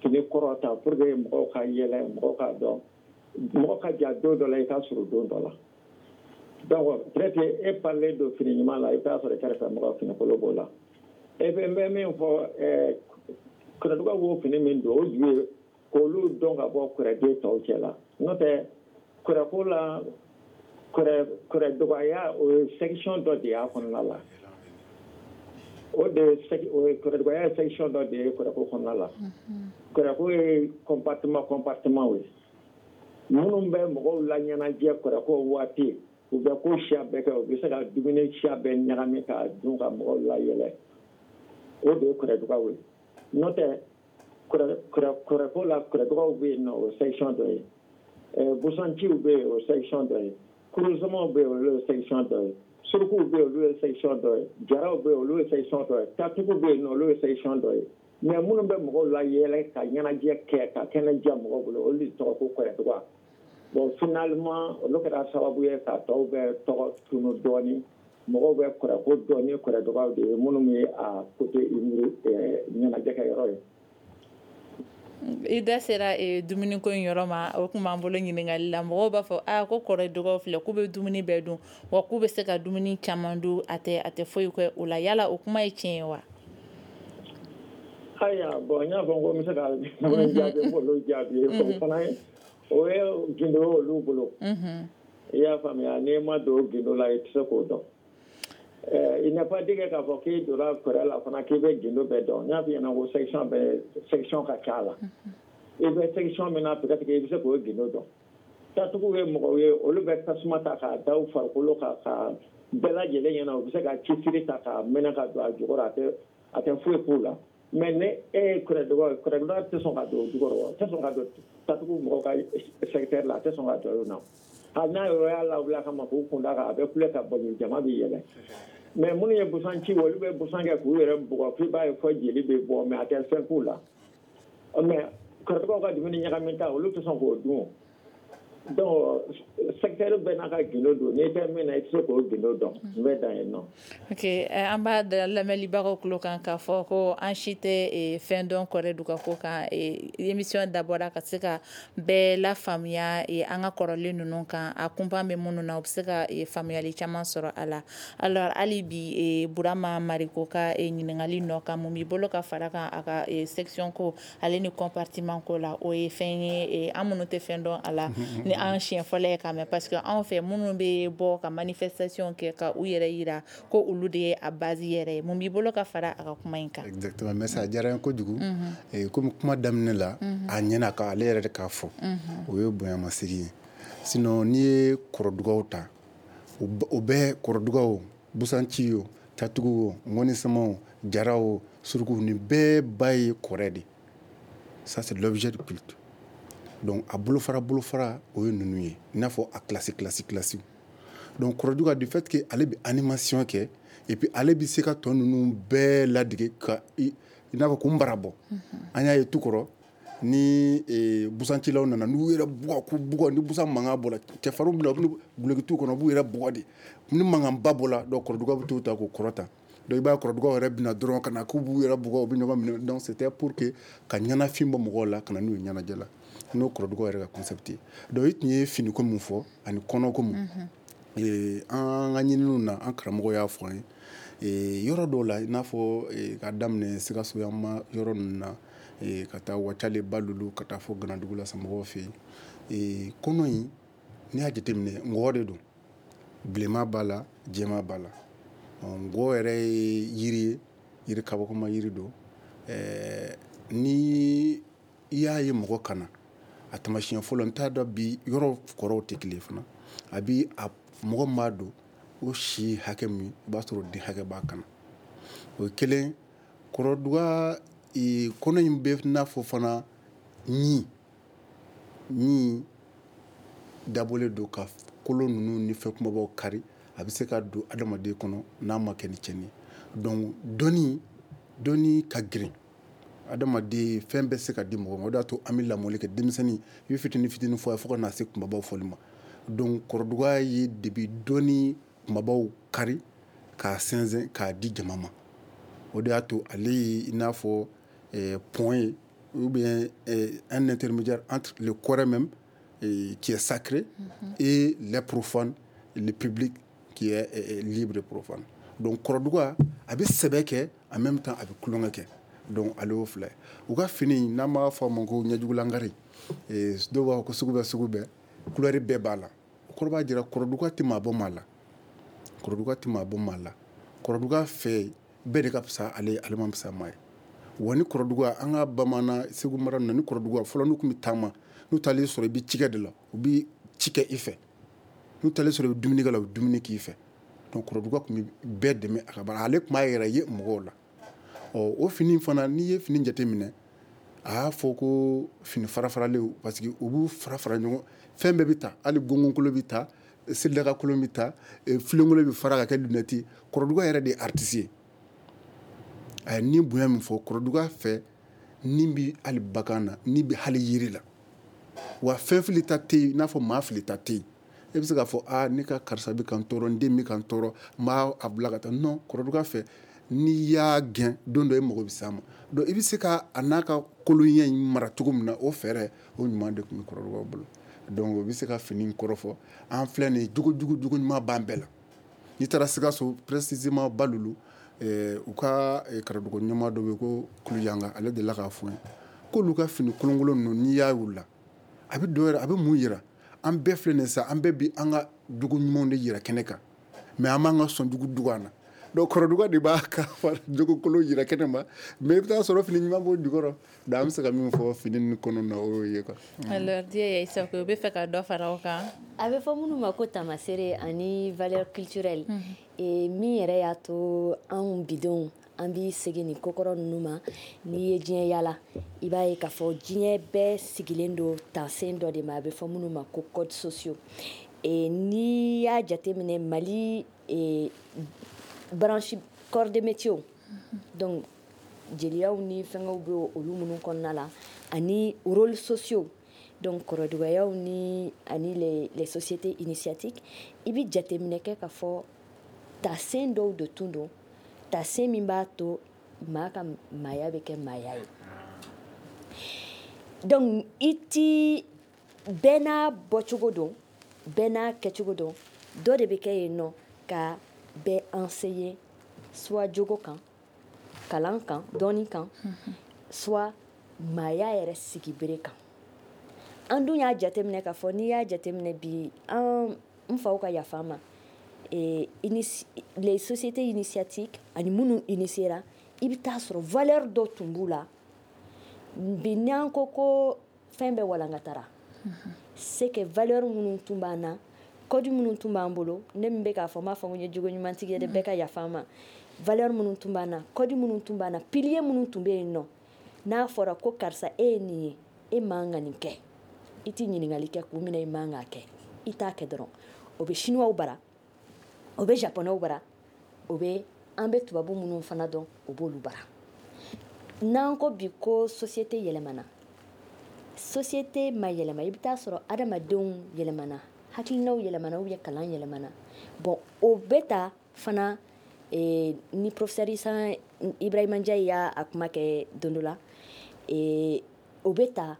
S2: fini kɔrɔ ta pour que mɔgɔw ka yɛlɛ, mɔgɔw k'a dɔn, mɔgɔ ka ja don dɔ la, i ka surun don dɔ la. Donc peut-être e parlen don fini ɲuman la, i bɛ taa sɔrɔ i kɛrɛfɛ mɔgɔ fini kolon b'o la. E bɛ n bɛ min fɔ, kɔrɔdugaw b'o fini min don, o ju ye k'olu dɔn ka bɔ kɔrɔden tɔw cɛ la. N'o tɛ, kɔrɔko la, kɔrɔdugaya, o ye section dɔ de y'a kɔnɔna la. O de ye o ye kɔrɔdugaya ye, section dɔ de ye kɔrɔko kɔnɔna la. Kɔrɔko ye compartiment compartiment ye. Minnu bɛ mɔgɔw la ɲɛnajɛ kɔrɔko waati, u bɛ ko siya bɛɛ kɛ, u bɛ se ka dumuni siya bɛɛ ɲagami k'a dun ka mɔgɔw layɛlɛ, o de ye kɔrɔdugaw ye. N'o tɛ, kɔrɔko la, kɔrɔdugaw bɛ yen nɔ, o section dɔ ye. Busanciw bɛ yen, o section dɔ ye. Kurusamaw bɛ yen, olu ye section dɔ ye. Surukuw bɛ yen, olu ye section dɔ ye. Jaraw bɛ yen, olu ye section dɔ ye. Tatuguw bɛ yen nɔ, olu ye section dɔ ye. Mais minnu bɛ mɔgɔw la yɛlɛ ka ɲɛnajɛ kɛ ka kɛnɛ diya mɔgɔw bolo, olu de tɔgɔ ko Kɔrɛduga. Bon, finalement, olu kɛra sababu ye ka tɔw bɛɛ tɔgɔ tunu dɔɔni. Mɔgɔw bɛ kɔrɛko dɔn ni Kɔrɛdugaw de ye, minnu ye a côté ɲɛnajɛ kɛ yɔrɔ ye.
S1: I da sera dumuniko in yɔrɔ ma, o tun b'an bolo ɲininkali la. Mɔgɔw b'a fɔ aa ko Kɔrɛdugaw filɛ, k'u bɛ dumuni bɛɛ dun, wa k'u bɛ se ka dumuni caman dun, a tɛ foyi kɛ o la. Yala o kuma ye tiɲɛ ye wa?
S2: Ayiwa, bon, n y'a fɔ ko n bɛ se ka jaabi, n b'olu jaabi. O fana ye, o ye gindo ye olu bolo. I y'a faamuya, n'i ma don gindo la, i tɛ se k'o dɔn. Il n'est pas dit que k'a fɔ k'i donna kɔrɛ la fana k'i bɛ gindo bɛɛ dɔn. N y'a f'i ɲɛna ko section bɛɛ, section ka ca la. I bɛ section min na, peut-être que i bɛ se k'o gindo dɔn. Tatuguw ye mɔgɔw ye, olu bɛ tasuma ta k'a da u farikolo kan ka bɛɛ lajɛlen ɲɛna. U bɛ se ka cisiri ta k'a mɛnɛ ka don a jukɔrɔ, a tɛ foyi k'u la. Mais ni e ye Kɔrɛduga ye, Kɔrɛduga tɛ sɔn ka don o jukɔrɔ, tɛ sɔn ka don tatugu mɔgɔw ka secteur la, a tɛ sɔn ka don yen nɔ. Hali n'a yɔrɔ y'a lawuli a kama k'u kun da kan, a bɛ kule ka bɔ, jama bɛ yɛlɛ. Mais minnu ye busan ci, olu bɛ busan kɛ k'u yɛrɛ bugɔ f'i b'a ye fɔ jeli bɛ bɔ, mais a tɛ fɛn k'u la. Mais Kɔrɛdugaw ka dumuni ɲagami ta, olu tɛ sɔn k'o dun. Donc secteur bɛɛ n'a ka gindo don, n'i tɛ min na, i tɛ se k'o gindo dɔn. N bɛ dan yen nɔ.
S1: Ok, an b'a da lamɛnlibagaw tulo kan k'a fɔ ko an si tɛ fɛn dɔn Kɔrɛduga ko kan. Émission dabɔra ka se ka bɛɛ lafaamuya an ka kɔrɔlen ninnu kan, a kunpan bɛ minnu na, u bɛ se ka faamuyali caman sɔrɔ a la. Alors hali bi, Burama Mariko ka ɲininkali nɔ kan, mun b'i bolo ka fara kan a ka section ko ale ni compartiment ko la? O ye fɛn ye, an minnu tɛ fɛn dɔn a la, ni an siɲɛ fɔlɔ ye k'a mɛn, parce que anw fɛ, minnu bɛ bɔ ka manifestation kɛ ka u yɛrɛ yira ko olu de ye a base yɛrɛ ye. Mun b'i bolo ka fara a ka kuma in kan?
S5: Exactement, mais ça diyara n ye kojugu. Komi kuma daminɛ la, a ɲɛna ka ale yɛrɛ de k'a fɔ, o ye bonyamasegin ye. Sinon n'i ye Kɔrɔdugaw ta, o bɛɛ Kɔrɔdugaw, busanci o, tatugu o, ŋɔnisama o, jara o, suruku, nin bɛɛ ba ye kɔrɛ de. Ça, c'est l'objet de culte. Donc a bolofara bolofara, o ye ninnu ye, i n'a fɔ a classe classe classe. Donc Kɔrɔduga, du fait que ale bɛ animation kɛ, et puis ale bɛ se ka tɔ ninnu bɛɛ ladege ka i n'a fɔ k'u mara bɔ. An y'a ye tu kɔrɔ ni busancilaw nana, n'u yɛrɛ bugɔ k'u bugɔ, ni busan mankan bɔra, cɛfarinw bɛ na, u bɛ duloki t'u kɔnɔ, u b'u yɛrɛ bugɔ de. Ni mankanba bɔra, donc Kɔrɔduga bɛ t'u ta k'u kɔrɔta. Donc i b'a ye Kɔrɔdugaw yɛrɛ bɛna dɔrɔn ka na k'u b'u yɛrɛ bugɔ, u bɛ ɲɔgɔn minɛ. Donc c'était pour que ka ɲɛnafin bɔ mɔgɔw la ka na n'u ye ɲɛnajɛ la, n'o Kɔrɔdugaw yɛrɛ ka concept ye. Donc i tun ye finiko min fɔ ani kɔnɔko mun, an ka ɲininiw na, an karamɔgɔ y'a fɔ an ye yɔrɔ dɔw la, i n'a fɔ ka daminɛ Sikaso yan ma yɔrɔ ninnu na, ka taa Wacale, Balulu, ka taa fɔ Ganadugu la samɔgɔw fɛ yen, kɔnɔ in, n'i y'a jateminɛ, ngɔɔ de don, bilenman b'a la, jɛman b'a la. Ngɔɔ yɛrɛ ye yiri ye, yiri kabakoma yiri don. Ni i y'a ye mɔgɔ kana a taamasiyɛn fɔlɔ, n t'a dɔn bi yɔrɔ kɔrɔw tɛ kelen fana, a bi a mɔgɔ min b'a don, o si hakɛ min, i b'a sɔrɔ den hakɛ b'a kana. O ye kelen. Kɔrɔduga kɔnɔ in bɛ n'a fɔ fana ɲi ɲi dabɔlen don ka kolo ninnu ni fɛn kumabaw kari, a bɛ se ka don adamaden kɔnɔ n'a ma kɛ ni tiɲɛni ye. Donc dɔnni ka girin, adamaden fɛn bɛɛ se ka di mɔgɔ ma. O de y'a to an bɛ lamɔli kɛ denmisɛnnin, i bɛ fitinin fitinin fɔ a ye fo ka na se kunbabaw fɔli ma. Donc Kɔrɔduga ye debi dɔnni kunbabaw kari k'a sɛnsɛn k'a di jama ma. O de y'a to ale ye i n'a fɔ pont ye, ou bien un intermédiaire entre le Kɔrɛ même qui est sacré et les profanes, le public qui est libre et profane. Donc Kɔrɔduga a bɛ sɛbɛ kɛ, en même temps a bɛ tulonkɛ kɛ. Donc ale y'o fila ye. U ka fini, n'an b'a fɔ a ma ko ɲɛjugulankari, dɔw b'a fɔ ko sugu bɛɛ sugu bɛɛ, couleur bɛɛ b'a la. O kɔrɔ b'a jira Kɔrɔduga tɛ maa bɔ maa la. Kɔrɔduga tɛ maa bɔ maa la. Kɔrɔduga fɛ bɛɛ de ka fisa ale, ale ma fisa maa ye. Wa ni Kɔrɔduga, an ka bamanan Segu mara ninnu na, ni Kɔrɔduga fɔlɔ n'u tun bɛ taama, n'u taalen sɔrɔ i bɛ cikɛ de la, u bɛ ci kɛ i fɛ. N'u taalen sɔrɔ i bɛ dumuni kɛ la, u bɛ dumuni k'i fɛ. Donc Kɔrɔduga tun bɛ bɛɛ dɛmɛ a ka baara, ale tun b'a yɛrɛ ye mɔgɔw la. Ɔ o fini fana, n'i ye fini jateminɛ, a y'a fɔ ko fini fara faralenw, parce que u b'u fara fara ɲɔgɔn, fɛn bɛɛ bɛ ta, hali gɔngɔnkolo bɛ ta, Selidaka kolon bɛ ta, filenkolon bɛ fara ka kɛ lunette. Kɔrɔduga yɛrɛ de ye artiste ye. A ye ni bonya min fɔ kɔrɔduga fɛ, ni bɛ hali bagan na, ni bɛ hali yiri la. Wa fɛn fili ta tɛ yen, i n'a fɔ maa fili ta tɛ yen. E bɛ se k'a fɔ aa, ne ka karisa bɛ ka n tɔɔrɔ, n den bɛ ka n tɔɔrɔ, n b'a a bila ka taa. Non, kɔrɔduga fɛ, n'i y'a gɛn, don dɔ e mago bɛ s'a ma. Donc i bɛ se ka a n'a ka kolonya in mara cogo min na, o fɛɛrɛ o ɲuman de tun bɛ kɔrɔdugaw bolo. Donc o bɛ se ka fini kɔrɔ fɔ. An filɛ nin ye, jogo jugu, jogo ɲuman b'an bɛɛ la. N'i taara Sikaso, précisément Balulu, u ka karamɔgɔ ɲɛmaa dɔ bɛ yen ko Kuluyanga, ale delila k'a fɔ n ye k'olu ka fini kolonkolon ninnu, n'i y'a y'u la, a bɛ dɔ yɛrɛ, a bɛ mun yira? An bɛɛ filɛ nin ye sa, an bɛɛ bi an ka jogo ɲumanw de yira kɛnɛ kan, mais an b'an ka sɔnjugu dugu an na. Donc kɔrɔduga de b'a ka jogo kolon yira kɛnɛ ma, mais i bɛ taa sɔrɔ fini ɲuman b'o jukɔrɔ. Donc an bɛ se ka min fɔ fini ninnu kɔnɔ na, o y'o ye quoi.
S1: Alors Dieye Sakɔ, o bɛ fɛ ka dɔ fara o kan.
S6: A bɛ fɔ minnu ma ko tamasere ani valeur culturelle. Min yɛrɛ y'a to anw bidenw an b'i segin nin kokɔrɔ ninnu ma, n'i ye diɲɛ yala, i b'a ye k'a fɔ diɲɛ bɛɛ sigilen don tansen dɔ de ma, a bɛ fɔ minnu ma ko codes sociaux. N'i y'a jateminɛ Mali branche corps de métier, donc jeliyaw ni fɛngɛw bɛ olu minnu kɔnɔna la, ani rôles sociaux, donc kɔrɔdugayaw ni ani les sociétés initiatiques, i bɛ jateminɛ kɛ k'a fɔ tasen dɔw de tun don, tasen min b'a to maa ka maaya bɛ kɛ maaya ye. Donc i ti bɛɛ n'a bɔcogo don, bɛɛ n'a kɛcogo don, dɔ de bɛ kɛ yen nɔ ka bɛɛ enseigner, soit jogo kan, kalan kan, dɔɔni kan, soit maaya yɛrɛ sigibere kan. An dun y'a jateminɛ k'a fɔ, n'i y'a jateminɛ bi, an n faw ka yafa ma, les sociétés initiatiques ani minnu initiera, i bɛ taa sɔrɔ valeur dɔ tun b'u la. Bi n'an ko ko fɛn bɛɛ walankatara, c'est que valeur minnu tun b'an na, code minnu tun b'an bolo, ne min bɛ k'a fɔ, n b'a fɔ ko n ye jogo ɲumantigi ye dɛ, bɛɛ ka yafa n ma. Valeur minnu tun b'an na, code minnu tun b'an na, pilier minnu tun bɛ yen nɔ, n'a fɔra ko karisa e ye nin ye, e man ka nin kɛ, i ti ɲininkali kɛ kun min na i man k'a kɛ, i t'a kɛ dɔrɔn. O bɛ chinois bara, o bɛ japonais bara, o bɛ an bɛ tubabu minnu fana dɔn, o b'olu bara. N'an ko bi ko société yɛlɛmana, société ma yɛlɛma, i bɛ taa sɔrɔ adamadenw yɛlɛmana, hakilinaw yɛlɛmana, ou bien kalan yɛlɛmana. Bon, o bɛ ta fana, ni professeur Isa Ibrahima Ndiaye y'a a kuma kɛ don dɔ la, o bɛ ta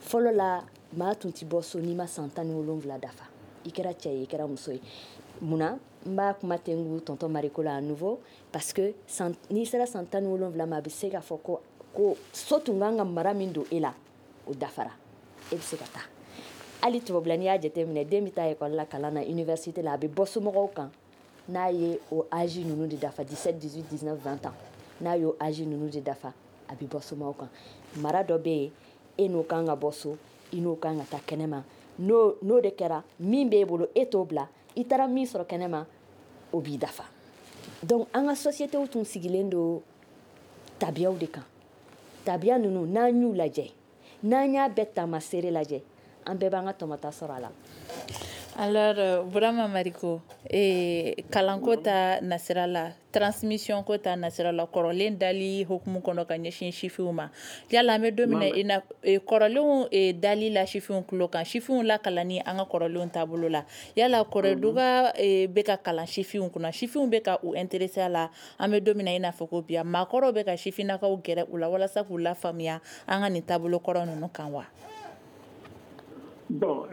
S6: fɔlɔ la, maa tun ti bɔ so n'i ma san 17 dafa, i kɛra cɛ ye, i kɛra muso ye. Munna n b'a kuma tengu tonton Mariko la à nouveau? Parce que n'i sera san 17 ma, a bɛ se k'a fɔ ko so tun kan ka mara min don e la, o dafara, e bɛ se ka taa. Hali tubabula, n'i y'a jateminɛ, den bɛ taa ekɔli la, kalan na, université la, a bɛ bɔ somɔgɔw kan n'a ye o âge ninnu de dafa, 17, 18, 19, 20 ans, n'a y'o âge ninnu de dafa, a bɛ bɔ somɔgɔw kan. Mara dɔ bɛ yen, e n'o kan ka bɔ so, i n'o kan ka taa kɛnɛma. N'o de kɛra, min b'e bolo, e t'o bila, i taara min sɔrɔ kɛnɛma, o b'i dafa. Donc an ka société tun sigilen don tabiyaw de kan. Tabiya ninnu, n'an y'u lajɛ, n'an y'a bɛɛ taamasere lajɛ, an bɛɛ b'an ka tɔmɔta sɔrɔ a la.
S1: Alors Burama Mariko, kalanko ta nasira la, transmission ko ta nasira la, kɔrɔlen dali hukumu kɔnɔ ka ɲɛsin sifinw ma, yala an bɛ don min na i na kɔrɔlenw dali la sifinw tulo kan, sifinw lakalanni an ka kɔrɔlenw taabolo la, yala kɔrɔduga bɛ ka kalan sifinw kunna, sifinw bɛ ka u intéressé a la, an bɛ don min na i n'a fɔ ko bi, maakɔrɔw bɛ ka sifinnakaw gɛrɛ u la walasa k'u lafaamuya an ka nin taabolo kɔrɔ ninnu kan wa?
S2: Bon,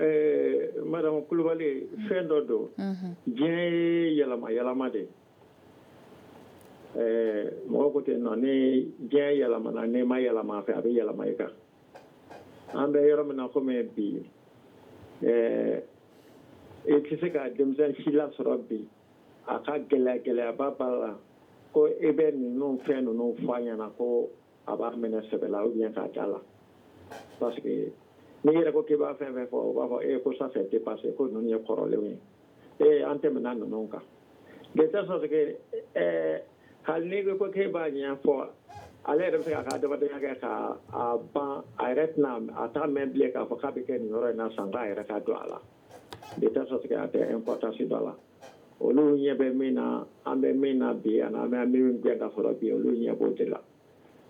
S2: madame Kulubali, fɛn dɔ don, diɲɛ ye yɛlɛma yɛlɛma de ye. Mɔgɔ ko ten nɔ, ni diɲɛ yɛlɛmana, n'i ma yɛlɛma a fɛ, a bɛ yɛlɛma i kan. An bɛ yɔrɔ min na komi bi, i tɛ se ka denmisɛn si lasɔrɔ bi, a ka gɛlɛya, gɛlɛyaba b'a la ko e bɛ ninnu fɛn ninnu fɔ a ɲɛna ko a b'a minɛ sɛbɛ la ou bien k'a da la, parce que n'i yɛrɛ ko k'i b'a fɛn fɛn fɔ, o b'a fɔ e ko ça c'est dépassé, ko ninnu ye kɔrɔlenw ye, e an tɛmɛna ninnu kan. De telle sorte que hali n'i ko k'e b'a ɲɛfɔ, ale yɛrɛ bɛ se k'a ka adamadenya kɛ k'a ban, a yɛrɛ tɛna a t'a mɛn bilen k'a fɔ k'a bɛ kɛ nin yɔrɔ in na san k'a yɛrɛ ka don a la. De telle sorte que a tɛ importance dɔ la. Olu ɲɛ bɛ min na, an bɛ min na bi, ani an bɛ min gɛn ka sɔrɔ bi, olu ɲɛ b'o de la.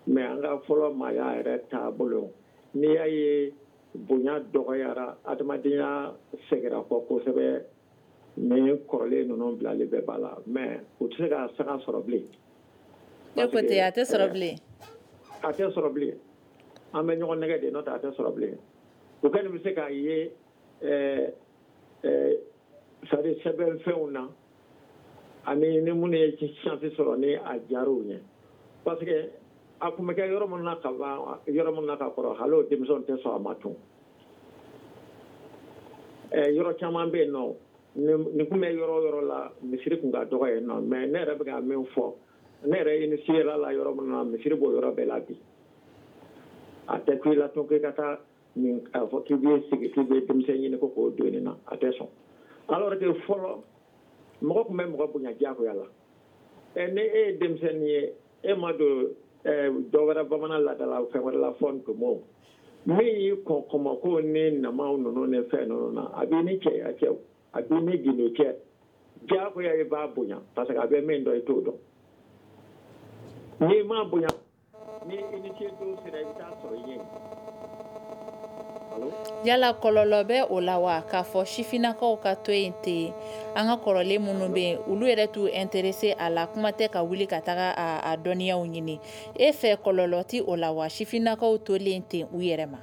S2: Mais an ka fɔlɔ maaya yɛrɛ taabolo, n'i y'a ye bonya dɔgɔyara, adamadenya sɛgɛra kɔ kosɛbɛ, ni kɔrɔlen ninnu bilali bɛɛ b'a la, mais u tɛ se ka sanga sɔrɔ bilen.
S1: E ko ten, a tɛ sɔrɔ bilen.
S2: A tɛ sɔrɔ bilen. An bɛ ɲɔgɔn nɛgɛ de, n'o tɛ a tɛ sɔrɔ bilen. O kɔni bɛ se k'a ye c'est-à-dire sɛbɛnfɛnw na, ani ni minnu ye chance sɔrɔ ni a diyara u ɲɛ, parce que a tun bɛ kɛ yɔrɔ min na ka ban, yɔrɔ min na ka kɔrɔ, hali o denmisɛnw tɛ sɔn a ma tun. Yɔrɔ caman bɛ yen nɔ, nin tun bɛ yɔrɔ o yɔrɔ la, misiri tun ka dɔgɔ yen nɔ. Mais ne yɛrɛ bɛ ka min fɔ, ne yɛrɛ initié la yɔrɔ min na, misiri b'o yɔrɔ bɛɛ la bi. A tɛ ku i la tun k'i ka taa nin k'a fɔ k'i bɛ sigi k'i bɛ denmisɛn ɲini ko k'o don nin na, a tɛ sɔn. Alors que fɔlɔ, mɔgɔ tun bɛ mɔgɔ bonya diyagoya la. Ni e ye denmisɛnnin ye, e ma don dɔ wɛrɛ bamanan laadala fɛn wɛrɛ la fɔ ntomo min y'i kɔn kɔmɔko ni namaw ninnu ni fɛn ninnu na, a b'i ni cɛya cɛ, a b'i ni gindo cɛ, diyagoya i b'a bonya, parce que a bɛ min dɔn, i t'o dɔn. N'i m'a bonya, ni initié don sera, i bɛ taa sɔrɔ i ɲɛ.
S1: Yala kɔlɔlɔ bɛ o la wa, k'a fɔ sifinnakaw ka to yen ten, an ka kɔrɔlen minnu bɛ yen, olu yɛrɛ t'u intéressé a la, kuma tɛ ka wuli ka taga a dɔnniyaw ɲini? E fɛ, kɔlɔlɔ ti o la wa, sifinnakaw tolen ten u yɛrɛ ma?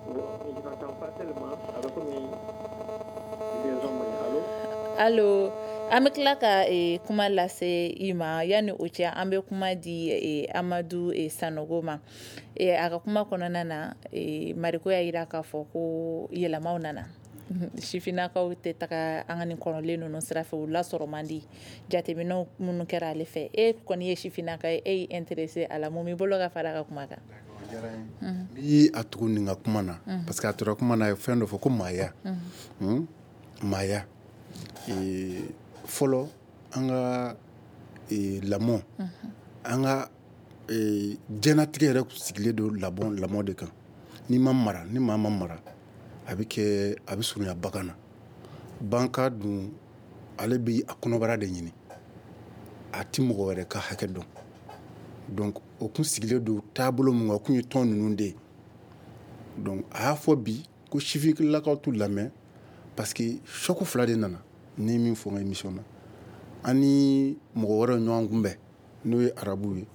S2: Je n'entends pas tellement. A bɛ komi liaison man ɲi. Allo?
S1: Allo, an bɛ tila ka kuma lase i ma. Yanni o cɛ, an bɛ kuma di Amadu Sanogo ma. A ka kuma kɔnɔna na, Mariko y'a jira k'a fɔ ko yɛlɛmaw nana, sifinnakaw tɛ taga an ka nin kɔrɔlen ninnu sira fɛ, u lasɔrɔ man di. Jateminɛw minnu kɛra ale fɛ, e kɔni ye sifinnaka ye, e y'i intéressé a la, mun b'i bolo ka fara a ka kuma kan?
S5: N bi a tugu nin ka kuma na, parce que a tora kuma na, a ye fɛn dɔ fɔ ko maaya. Maaya, fɔlɔ an ka lamɔ, an ka diɲɛnatigɛ yɛrɛ sigilen don lamɔ de kan. N'i ma mara, ni maa ma mara, a bɛ kɛ, a bɛ surunya bagan na. Banka dun, ale bɛ a kɔnɔbara de ɲini, a ti mɔgɔ wɛrɛ ka hakɛ dɔn. Donc o kun sigilen don taabolo min kan, o kun ye tɔn ninnu de ye. Donc a y'a fɔ bi ko sifinnakaw t'u lamɛn, parce que choc fila de nana. Ni min fɔ n ka émission na, an ni mɔgɔ wɛrɛw ɲɔgɔn kunbɛn, n'o ye arabuw ye,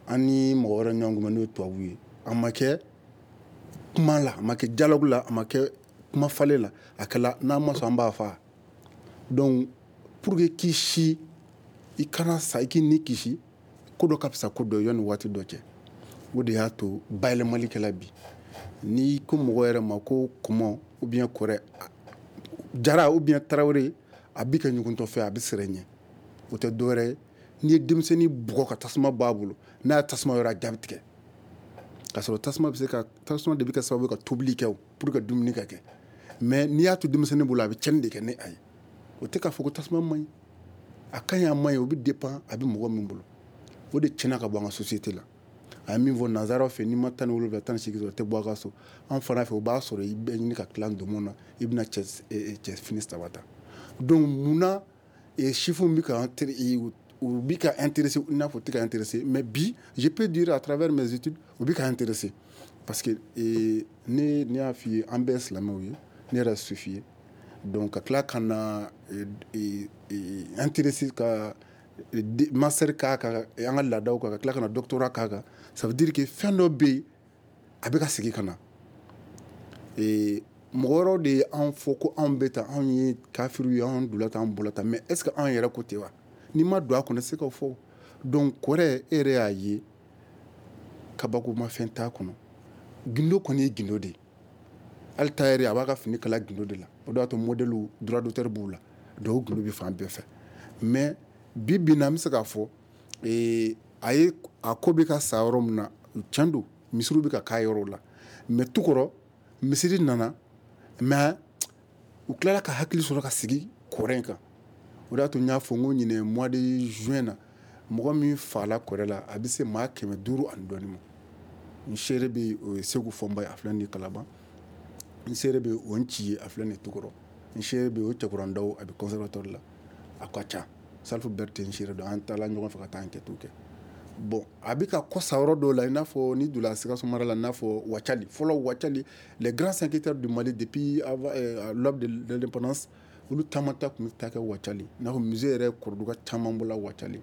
S5: an ni mɔgɔ wɛrɛ ɲɔgɔn kunbɛn, n'o ye tubabuw ye. A ma kɛ kuma la, a ma kɛ dialogue la, a ma kɛ kuma falen la, a kɛla n'an ma sɔn, an b'a fa. Donc pour que k'i si i kana sa, i k'i ni kisi, ko dɔ ka fisa ko dɔ ye yanni waati dɔ cɛ. O de y'a to bayɛlɛmali kɛla bi. N'i ko mɔgɔ yɛrɛ ma ko kɔmɔ ou bien kɔrɛ, jara ou bien tarawele, a bi kɛ ɲuguntɔ fɛ, a bɛ siran ɲɛ. O tɛ dɔwɛrɛ ye, n'i ye denmisɛnnin bugɔ ka tasuma bɔ a bolo, n'a ye tasuma yɔrɔ, a ja bɛ tigɛ. K'a sɔrɔ tasuma bɛ se ka, tasuma de bɛ kɛ sababu ye ka tobili kɛ pour que dumuni ka kɛ. Mais n'i y'a to denmisɛnnin bolo, a bɛ tiɲɛni de kɛ ni a ye. O tɛ k'a fɔ ko tasuma man ɲi, a ka ɲi, a man ɲi, o bɛ dépend a bɛ mɔgɔ min bolo. O de tiɲɛna ka bɔ an ka société la. A ye min fɔ, nanzaraw fɛ, n'i ma 17, 18 sɔrɔ, i tɛ bɔ a ka so. An fana fɛ, o b'a sɔrɔ i bɛ ɲini ka tila ndomo na, i bɛna cɛ fini saba ta. Donc munna sifinw bɛ ka u bɛ ka intéressé, i n'a fɔ u tɛ ka intéressé? Mais bi, je peux dire à travers mes études, u bɛ ka intéressé, parce que ne y'a f'i ye, an bɛɛ ye silamɛw ye, ne yɛrɛ ye sufi ye. Donc ka tila ka na intéressé ka master k'a kan, an ka laadaw kan, ka tila ka na doctorat k'a kan, ça veut dire que fɛn dɔ bɛ yen, a bɛ ka segin ka na. Mɔgɔ wɛrɛw de ye anw fɔ ko anw bɛ tan, anw ye kafiriw ye, anw donna tan, an bɔra tan. Mais est ce que anw yɛrɛ ko ten wa? N'i ma don a kɔnɔ, i tɛ se k'o fɔ. Donc kɔrɛ, e yɛrɛ y'a ye, kabakomafɛn t'a kɔnɔ. Gindo kɔni ye gindo de ye. Hali tailleur, a b'a ka fini kala gindo de la. O de y'a to modèle droit d'auteur b'u la. Donc o gindo bɛ fan bɛɛ fɛ. Mais bi bi in na, an bɛ se k'a fɔ a ye a ko bɛ ka sa yɔrɔ min na, tiɲɛ don, misiriw bɛ ka k'a yɔrɔ la. Mais tukɔrɔ misiri nana, mais u tilala ka hakili sɔrɔ ka sigi kɔrɛ in kan. O de y'a to n y'a fɔ n ko ɲinɛ mois de juin na, mɔgɔ min fala kɔrɛ la, a bɛ se maa 500 ani dɔɔni ma. N seere bɛ yen, o ye Segu Fɔnba ye, a filɛ nin ye Kalaban. N seere bɛ o ci ye, a filɛ nin tukɔrɔ. N seere bɛ o cɛkurandaw, a bɛ conservatoire la, a ka ca. Salifu Berete n seere don, an taala ɲɔgɔn fɛ ka taa enquête kɛ. Bon, a bɛ ka kɔsa yɔrɔ dɔw la, i n'a fɔ ni donna Sikaso mara la, i n'a fɔ Wacali. Fɔlɔ Wacali, les grands enquêteurs du Mali depuis avant l'aube de l'indépendance, olu caman ta tun bɛ taa kɛ Wacali. I n'a fɔ musée yɛrɛ, Kɔrɔduga caman bɔla Wacali.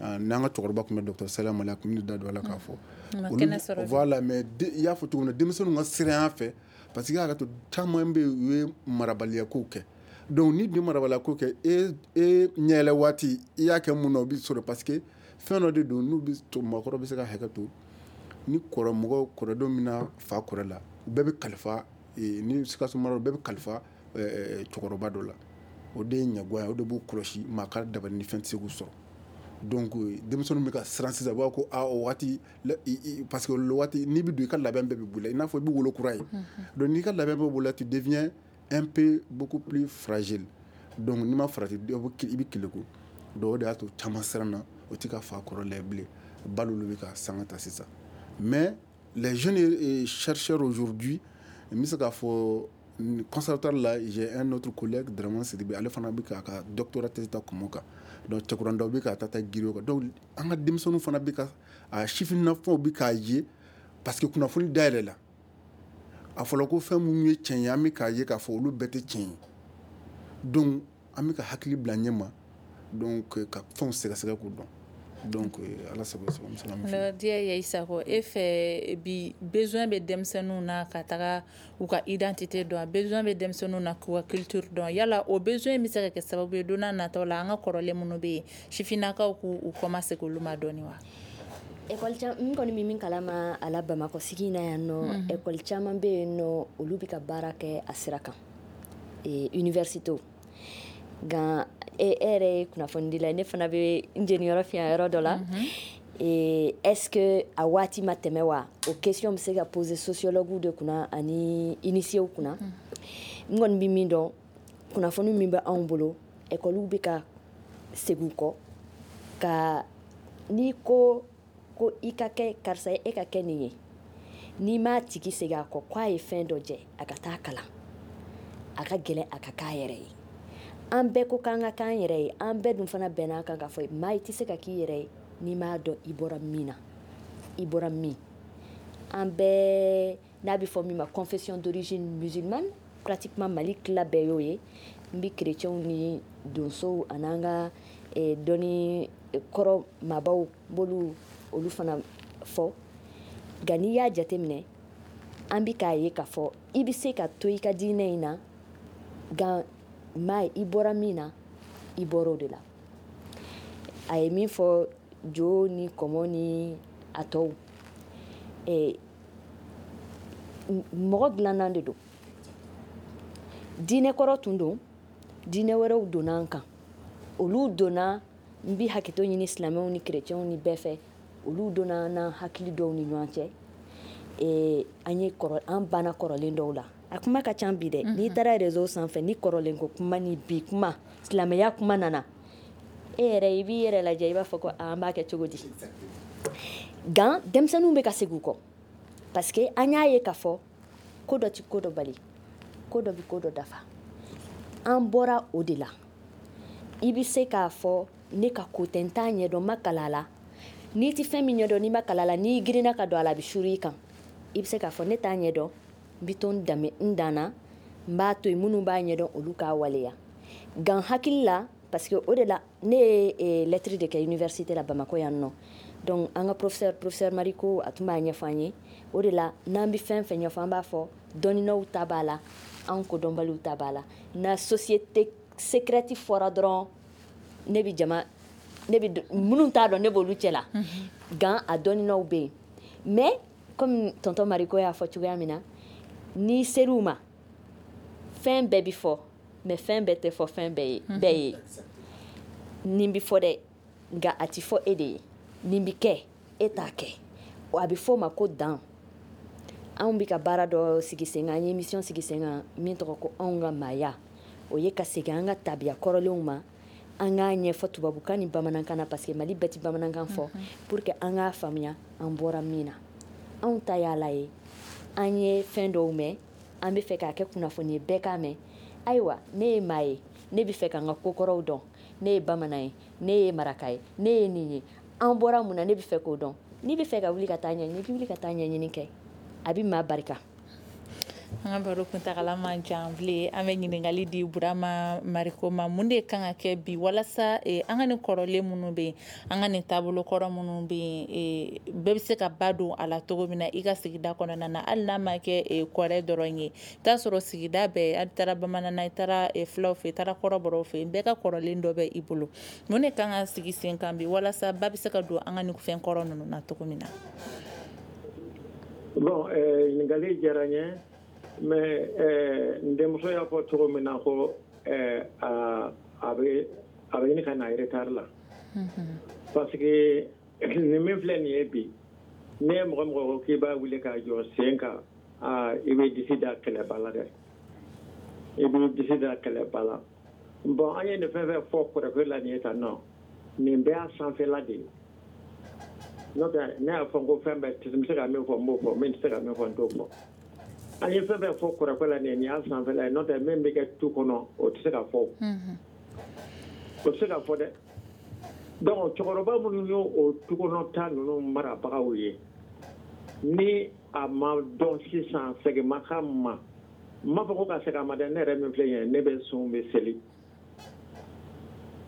S5: N'an ka cɛkɔrɔba tun bɛ, docteur Salam Mali, a tun bɛ da don a la k'a fɔ. Voilà, mais i y'a fɔ cogo min na, denmisɛnninw ka siran fɛ, parce que i y'a to caman bɛ yen, u ye marabaliya kow kɛ. Donc ni dun marabaliya ko kɛ, e ɲɛyɛlɛ waati i y'a kɛ mun na, o bɛ sɔrɔ, parce que fɛn dɔ de don. N'u bɛ maakɔrɔ bɛ se ka hakɛ to ni kɔrɔ mɔgɔ kɔrɔdenw bɛna fa kɔrɔ la, u bɛɛ bɛ kalifa ni Sikaso mara, u bɛɛ bɛ kalifa cɛkɔrɔba dɔ la. O de ye ɲɛguwa ye, o de b'u kɔlɔsi, maa ka dabali ni fɛn tɛ se k'u sɔrɔ. Donc denmisɛnninw bɛ ka siran sisan, u b'a fɔ ko aa, o waati, parce que o waati n'i bɛ don, i ka labɛn bɛɛ bɛ boli, i n'a fɔ i bɛ wolo kura ye. Donc n'i ka labɛn bɛɛ boli, tu deviens un peu beaucoup plus fragile. Donc n'i ma farati, i bɛ keleku. Donc o de y'a to caman siranna, o tɛ ka fa kɔrɔ lajɛ bilen. Ba olu bɛ ka sanga ta sisan. Mais les jeunes chercheurs aujourd'hui, n bɛ se k'a fɔ, conservatoire la, j'ai un autre collègue, Dramane Sidibé, ale fana bɛ k'a ka doctorat thèse ta kɔmɔ kan. Donc cɛkurandaw bɛ k'a ta ta giri o kan. Donc an ka denmisɛnninw fana bɛ ka a sifinnafɛnw bɛ k'a ye, parce que kunnafoni dayɛlɛ la, a fɔra ko fɛn minnu ye tiɲɛ ye, an bɛ k'a ye k'a fɔ olu bɛɛ tɛ tiɲɛ ye. Donc an bɛ ka hakili bila ɲɛ ma, donc ka fɛnw sɛgɛsɛgɛ k'u dɔn. Donc Ala sago sago.
S1: Diya ye Sakɔ, e fɛ bi, besoin bɛ denmisɛnninw na ka taga u ka identité dɔn, besoin bɛ denmisɛnninw na k'u ka culture dɔn. Yala o besoin bɛ se ka kɛ sababu ye don n'a nataw la, an ka kɔrɔlen minnu bɛ yen, sifinnakaw k'u kɔmasegin olu ma dɔɔni wa?
S6: École n kɔni bɛ min kalama a la Bamakɔ sigi in na yan nɔ, école caman bɛ yen nɔ, olu bɛ ka baara kɛ a sira kan, université. Nka e yɛrɛ ye kunnafonidila ye, ne fana bɛ n jeniyɔrɔ fiɲɛ yɔrɔ dɔ la. Est-ce que a waati ma tɛmɛ wa? O question bɛ se ka poser sociologue de kunna ani initiés kunna. N kɔni bɛ min dɔn, kunnafoni min bɛ anw bolo, école bɛ ka segin u kɔ ka n'i ko ko i ka kɛ karisa ye, e ka kɛ nin ye, n'i m'a tigi segin a kɔ k'a ye fɛn dɔ jɛ, a ka taa kalan, a ka gɛlɛn a ka k'a yɛrɛ ye. An bɛɛ ko k'an ka k'an yɛrɛ ye, an bɛɛ dun fana bɛn'a kan k'a fɔ maa i tɛ se ka k'i yɛrɛ ye n'i m'a dɔn i bɔra min na, i bɔra min. An bɛɛ n'a bɛ fɔ min ma confession d'origine musulmane, pratiquement Mali tila bɛɛ y'o ye. N bɛ chrétiens ni donsow an'an ka dɔnni kɔrɔ maabaw b'olu olu fana fɔ. Nka n'i y'a jateminɛ, an bɛ k'a ye k'a fɔ i bɛ se ka to i ka diinɛ in na, nka maa i bɔra min na, i bɔra o de la. A ye min fɔ, jo ni kɔmɔ ni a tɔw, mɔgɔ dilannan de don. Diinɛ kɔrɔ tun don, diinɛ wɛrɛw donna an kan, olu donna. N bɛ hakɛto ɲini silamɛw ni chrétiens ni bɛɛ fɛ, olu donna n'an hakili dɔw ni ɲɔgɔn cɛ. An ye kɔrɔ, an banna kɔrɔlen dɔw la. A kuma ka ca bi dɛ. N'i taara réseau sanfɛ, ni kɔrɔlen ko kuma ni bi kuma, silamɛya kuma nana, e yɛrɛ i b'i yɛrɛ lajɛ, i b'a fɔ ko an b'a kɛ cogo di? Nka denmisɛnninw bɛ ka segin u kɔ, parce que an y'a ye k'a fɔ ko dɔ ti ko dɔ bali, ko dɔ bɛ ko dɔ dafa. An bɔra o de la. I bɛ se k'a fɔ ne ka ko tɛ, n t'a ɲɛdɔn, n ma kalan a la. N'i ti fɛn min ɲɛdɔn, n'i ma kalan a la, n'i girinna ka don a la, a bɛ suru i kan. I bɛ se k'a fɔ ne t'a ɲɛdɔn, n bɛ to n danbe n dan na, n b'a to yen, minnu b'a ɲɛdɔn, olu k'a waleya. Nka n hakili la, parce que o de la ne ye lettre de kɛ université la Bamakɔ yan nɔ. Donc an ka professeur Mariko, a tun b'a ɲɛfɔ an ye. O de la n'an bɛ fɛn fɛn ɲɛfɔ, an b'a fɔ dɔnninaw ta b'a la, an kodɔnbaliw ta b'a la. Na société secrète fɔra dɔrɔn, ne bɛ jama, ne bɛ minnu t'a dɔn, ne b'olu cɛ la. Nka a dɔnninaw bɛ yen. Mais comme tonton Mariko y'a fɔ cogoya min na, n'i ser'u ma, fɛn bɛɛ bi fɔ, mais fɛn bɛɛ tɛ fɔ fɛn bɛɛ ye bɛɛ ye. Nin bi fɔ dɛ, nka a ti fɔ e de ye. Nin bi kɛ, e t'a kɛ. A bɛ fɔ o ma ko dan. Anw bɛ ka baara dɔ sigi sen kan, an ye émission sigi sen kan min tɔgɔ ko Anw ka maaya. O ye ka segin an ka tabiya kɔrɔlenw ma, an k'a ɲɛfɔ tubabukan ni bamanankan na, parce que Mali bɛɛ ti bamanankan fɔ, pour que an k'a faamuya an bɔra min na. Anw ta y'a la ye, an ye fɛn dɔw mɛn. An bɛ fɛ k'a kɛ kunnafoni ye, bɛɛ k'a mɛn. Ayiwa, ne ye maa ye, ne bɛ fɛ ka n ka kokɔrɔw dɔn. Ne ye bamanan ye, ne ye maraka ye, ne ye nin ye, an bɔra mun na, ne bɛ fɛ k'o dɔn. N'i bɛ fɛ ka wuli ka taa ɲɛɲini, i bɛ wuli ka taa ɲɛɲini kɛ, a bɛ maa barika.
S1: An ka baro kuntagala man jan bilen. An bɛ ɲininkali di Burama Mariko ma. Mun de kan ka kɛ bi walasa an ka nin kɔrɔlen minnu bɛ yen, an ka nin taabolo kɔrɔ minnu bɛ yen, bɛɛ bɛ se ka ba don a la cogo min na i ka sigida kɔnɔna na, hali n'a ma kɛ kɔrɛ dɔrɔn ye? I t'a sɔrɔ sigida bɛɛ, a taara bamanan na, i taara filaw fɛ, i taara kɔrɔbɔrɔw fɛ, bɛɛ ka kɔrɔlen dɔ bɛ i bolo. Mun de kan ka sigi sen kan bi walasa ba bɛ se ka don an ka nin fɛn kɔrɔ ninnu na cogo min na?
S2: Bon, ɲininkali diyara n ye, mais n denmuso y'a fɔ cogo min na ko a bɛ ɲini ka na retard la, parce que nin min filɛ nin ye bi, ne ye mɔgɔ mɔgɔ ko k'i b'a wuli k'a jɔ sen kan, i bɛ disi da kɛlɛba la dɛ, i bɛ disi da kɛlɛba la. Bon, an ye nin fɛn fɛn fɔ kɔrɔkɛ la nin ye tan nɔ, nin bɛɛ y'a sanfɛla de ye. N'o tɛ, ne y'a fɔ ko fɛn bɛɛ n bɛ se ka min fɔ, n b'o fɔ, min tɛ se ka min fɔ, n t'o fɔ. An ye fɛn fɛn fɔ kɔrɔkɛ la nin y'a sanfɛla ye. N'o tɛ, min bɛ kɛ tu kɔnɔ, o tɛ se ka fɔ, o tɛ se ka fɔ dɛ. Donc cɛkɔrɔba minnu y'o o tu kɔnɔ ta ninnu marabagaw ye, ni a ma dɔn sisan, segin ma k'a ma. N m'a fɔ ko ka segin a ma dɛ. Ne yɛrɛ min filɛ nin ye, ne bɛ sun, bɛ seli,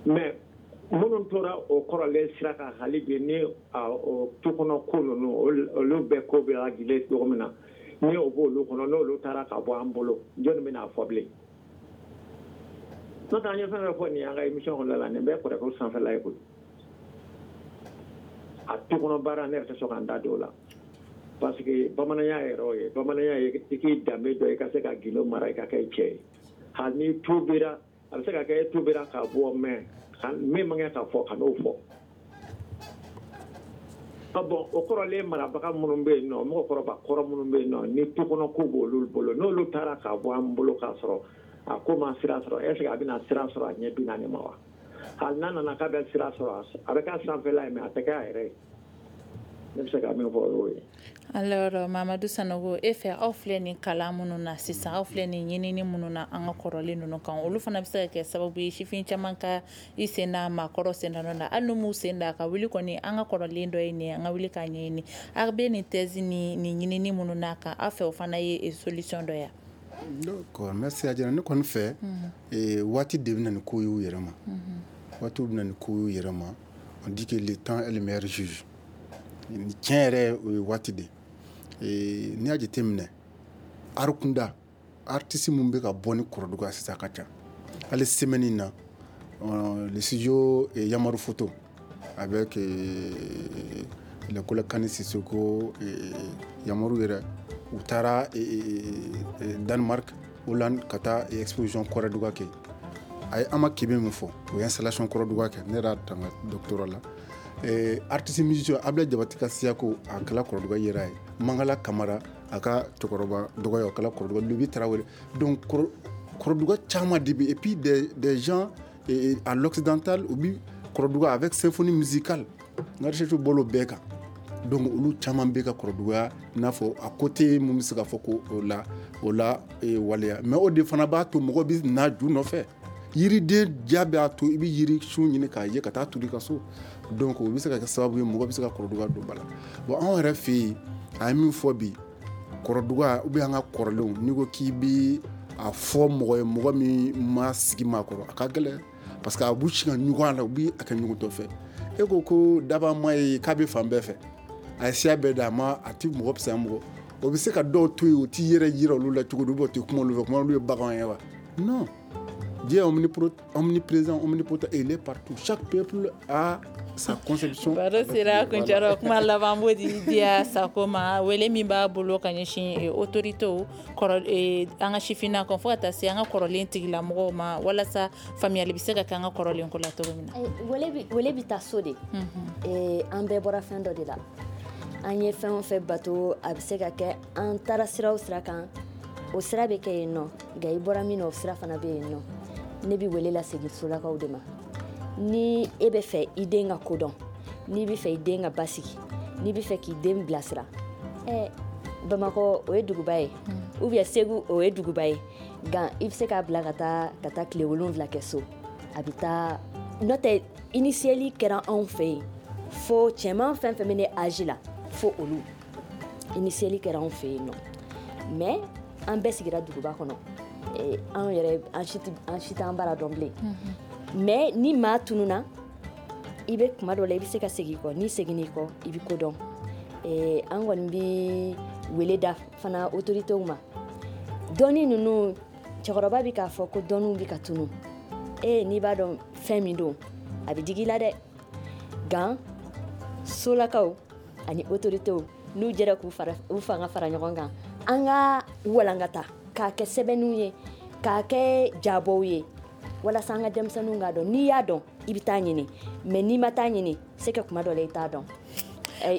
S2: mais minnu tora o kɔrɔlen sira kan hali bi, ni o tu kɔnɔ ko ninnu, olu bɛɛ ko bɛ lajɛlen cogo min na, ni o b'olu kɔnɔ, n'olu taara ka bɔ an bolo, jɔnni bɛna fɔ bilen? N'o tɛ, an ye fɛn fɛn fɔ nin y'an ka émission kɔnɔna la, nin bɛɛ kɔrɔkɛ sanfɛla ye koyi. A tu kɔnɔ baara, ne yɛrɛ tɛ sɔn ka n da don o la, parce que bamananya yɛrɛ o ye bamananya ye, i k'i danbe dɔn, i ka se ka gindo mara, i ka kɛ cɛ ye. Hali ni tubira, a bɛ se ka kɛ e tubira ka bɔ, mais min man kan ka fɔ, ka n'o fɔ. Bon, o kɔrɔlen marabaga minnu bɛ yen nɔ, mɔgɔkɔrɔba kɔrɔ minnu bɛ yen nɔ, ni tu kɔnɔ ko b'olu bolo, n'olu taara ka bɔ an bolo k'a sɔrɔ a ko ma sira sɔrɔ, est ce que a bɛna sira sɔrɔ a ɲɛ 40 ma wa? Hali n'a nana k'a bɛ sira sɔrɔ, a bɛ k'a sanfɛla ye, mais a tɛ kɛ a yɛrɛ ye. Ne bɛ se ka min fɔ, o y'o ye.
S1: Alors, Mamadu Sanogo, e fɛ, aw filɛ nin kalan minnu na sisan, aw filɛ nin ɲinini minnu na an ka kɔrɔlen ninnu kan, olu fana bɛ se ka kɛ sababu ye sifin caman ka i sen da maakɔrɔ sen da nɔ na, hali n'u m'u sen da, ka wuli kɔni, an ka kɔrɔlen dɔ ye nin ye, an ka wuli k'a ɲɛɲini. Aw bɛ nin thèse ni nin ɲinini minnu na kan, aw fɛ o fana ye solution dɔ ye?
S5: D'accord, merci. A diyara ne kɔni fɛ. Waati de bɛ na ni ko y'u yɛrɛ ma, waatiw bɛ na ni ko y'u yɛrɛ ma. On dit que le temps est le meilleur juge. Tiɲɛ yɛrɛ, o ye waati de ye. N'i y'a jateminɛ, art kunda, artiste mun bɛ ka bɔ ni kɔrɔduga sisan, a ka ca. Hali semaine in na, le studio Yamaru Photo avec le collègue Kani Sissoko, Yamaru yɛrɛ, u taara Danemark, Hollande, ka taa exposition kɔrɔduga kɛ. A ye Ama Kebe min fɔ, o ye installation kɔrɔduga kɛ. Ne yɛrɛ y'a ta n ka doctorat la. Artiste musicien Ablaye Jabate ka siyako, a kɛla kɔrɔduga yera ye. Mangala Kamara, a ka cɛkɔrɔba dɔgɔya, o kɛla kɔrɔduga. Lobi Tarawele. Donc kɔrɔduga caman de bɛ. Et puis des gens à l'occidental, u bi kɔrɔduga avec symphonie musicale. N ka recherche bɔl'o bɛɛ kan. Donc olu caman bɛ ka kɔrɔduga, i n'a fɔ a côté mun bɛ se ka fɔ ko o la waleya. Mais o de fana b'a to mɔgɔ bɛ na ju nɔfɛ. Yiriden ja b'a to i bɛ yiri sun ɲini k'a ye ka taa turu i ka so. Donc o bɛ se ka kɛ sababu ye mɔgɔ bɛ se ka kɔrɔduga don ba la. Bon, anw yɛrɛ fɛ yen, a ye min fɔ bi, kɔrɔduga ou bien an ka kɔrɔlenw, n'i ko k'i bɛ a fɔ mɔgɔ ye, mɔgɔ min ma sigi maa kɔrɔ, a ka gɛlɛn, parce que a b'u si ka ɲɔgɔn a la, u bɛ a kɛ ɲɔgɔn fɛ. E ko ko daba ma ye k'a bɛ fan bɛɛ fɛ, a ye siya bɛɛ da, a ma a ti mɔgɔ fisaya mɔgɔ. O bɛ se ka dɔw to yen, o t'i yɛrɛ yira olu la cogo di, ou bien o tɛ kuma olu fɛ, kuma olu ye baganw ye wa? Non, Dieu est omniprésent, omnipotent, et il est partout. Chaque peuple a sa conception.
S1: Baro sera kuncɛyɔrɔ. Kuma laban b'o di Diya Sako ma. Wele min b'a bolo ka ɲɛsin autorités kɔrɔ, an ka sifinnakaw, fo ka taa se an ka kɔrɔlen tigilamɔgɔw ma, walasa faamuyali bɛ se ka kɛ an ka kɔrɔlen ko la cogo min na.
S6: Wele bɛ taa so de. An bɛɛ bɔra fɛn dɔ de la. An ye fɛn o fɛn bato, a bɛ se ka kɛ an taara sira o sira kan, o sira bɛ kɛ yen nɔ, nka i bɔra min na, o sira fana bɛ yen nɔ. Ne bɛ wele lasegin solakaw de ma. Ni e bɛ fɛ i den ka kodɔn, n'i bɛ fɛ i den ka basigi, n'i bɛ fɛ k'i den bilasira, Bamakɔ, o ye duguba ye. Ou bien Segu, o ye duguba ye, nka i bɛ se k'a bila ka taa tile 7 kɛ so, a bɛ taa. N'o tɛ, initieli kɛra anw fɛ yen fo cɛman fɛn fɛn bɛ ne âge la, fo olu initieli kɛra anw fɛ yen nɔ. Mais an bɛɛ sigira duguba kɔnɔ, anw yɛrɛ an si t'an bara dɔn bilen. Mais ni maa tununa, i bɛ kuma dɔ la, i bɛ se ka segin i kɔ. N'i seginn'i kɔ, i bɛ ko dɔn. An kɔni bɛ wele da fana autorités ma. Dɔnni ninnu, cɛkɔrɔba bɛ k'a fɔ ko dɔnniw bɛ ka tunu. N'i b'a dɔn fɛn min don, a bɛ digi i la dɛ. Gan solakaw ani autorités, n'u jɛra k'u fara u fanga fara ɲɔgɔn kan, an ka walankata k'a kɛ sɛbɛnniw ye, k'a kɛ jabɔw ye, walasa an ka denmisɛnninw k'a dɔn. N'i y'a dɔn, i bɛ taa ɲini, mais n'i ma taa ɲini, c'est que kuma dɔ la i t'a dɔn.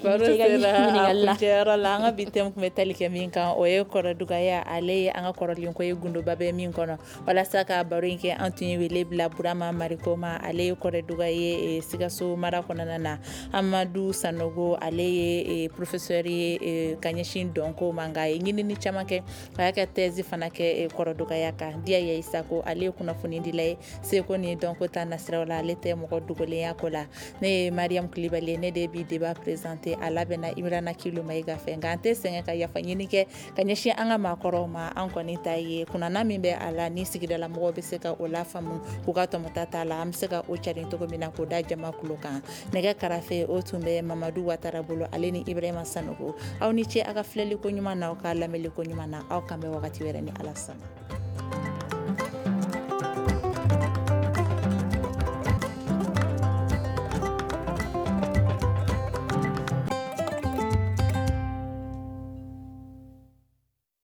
S1: Baro sera a kuncɛyɔrɔ la. An ka bi thème tun bɛ tali kɛ min kan, o ye kɔrɔdugaya. Ale ye an ka kɔrɔlen ko ye, gundoba bɛ min kɔnɔ. Walasa ka baro in kɛ, an tun ye wele bila Burama Mariko ma, ale ye kɔrɔduga ye Sikaso mara kɔnɔna na. Amadu Sanogo, ale ye professeur ye ka ɲɛsin dɔnko ma, nka a ye ɲinini caman kɛ, a y'a ka thèse fana kɛ kɔrɔdugaya kan. Diya Isako, ale ye kunnafonidila ye seko ni dɔnko ta nasiraw la, ale tɛ mɔgɔ dogolenya ko la. Ne ye Mariam Kulibali, ne de bi débat présenté. A labɛnna Imrana Kilo Mayiga fɛ. Nka an tɛ sɛgɛn ka yafa ɲini kɛ ka ɲɛsin an ka maakɔrɔw ma. An kɔni ta ye kunnana min bɛ a la, ni sigidala mɔgɔw bɛ se ka o lafaamu k'u ka tɔmɔta t'a la, an bɛ se ka o carin cogo min na k'o da jama kulo kan. Nɛgɛ karafe, o tun bɛ Mamadu Watara bolo, ale ni Ibrahima Sanogo. Aw ni ce a ka filɛli ko ɲuman na, aw ka lamɛnli ko ɲuman na. Aw kan bɛ wagati wɛrɛ ni Ala sɔnna.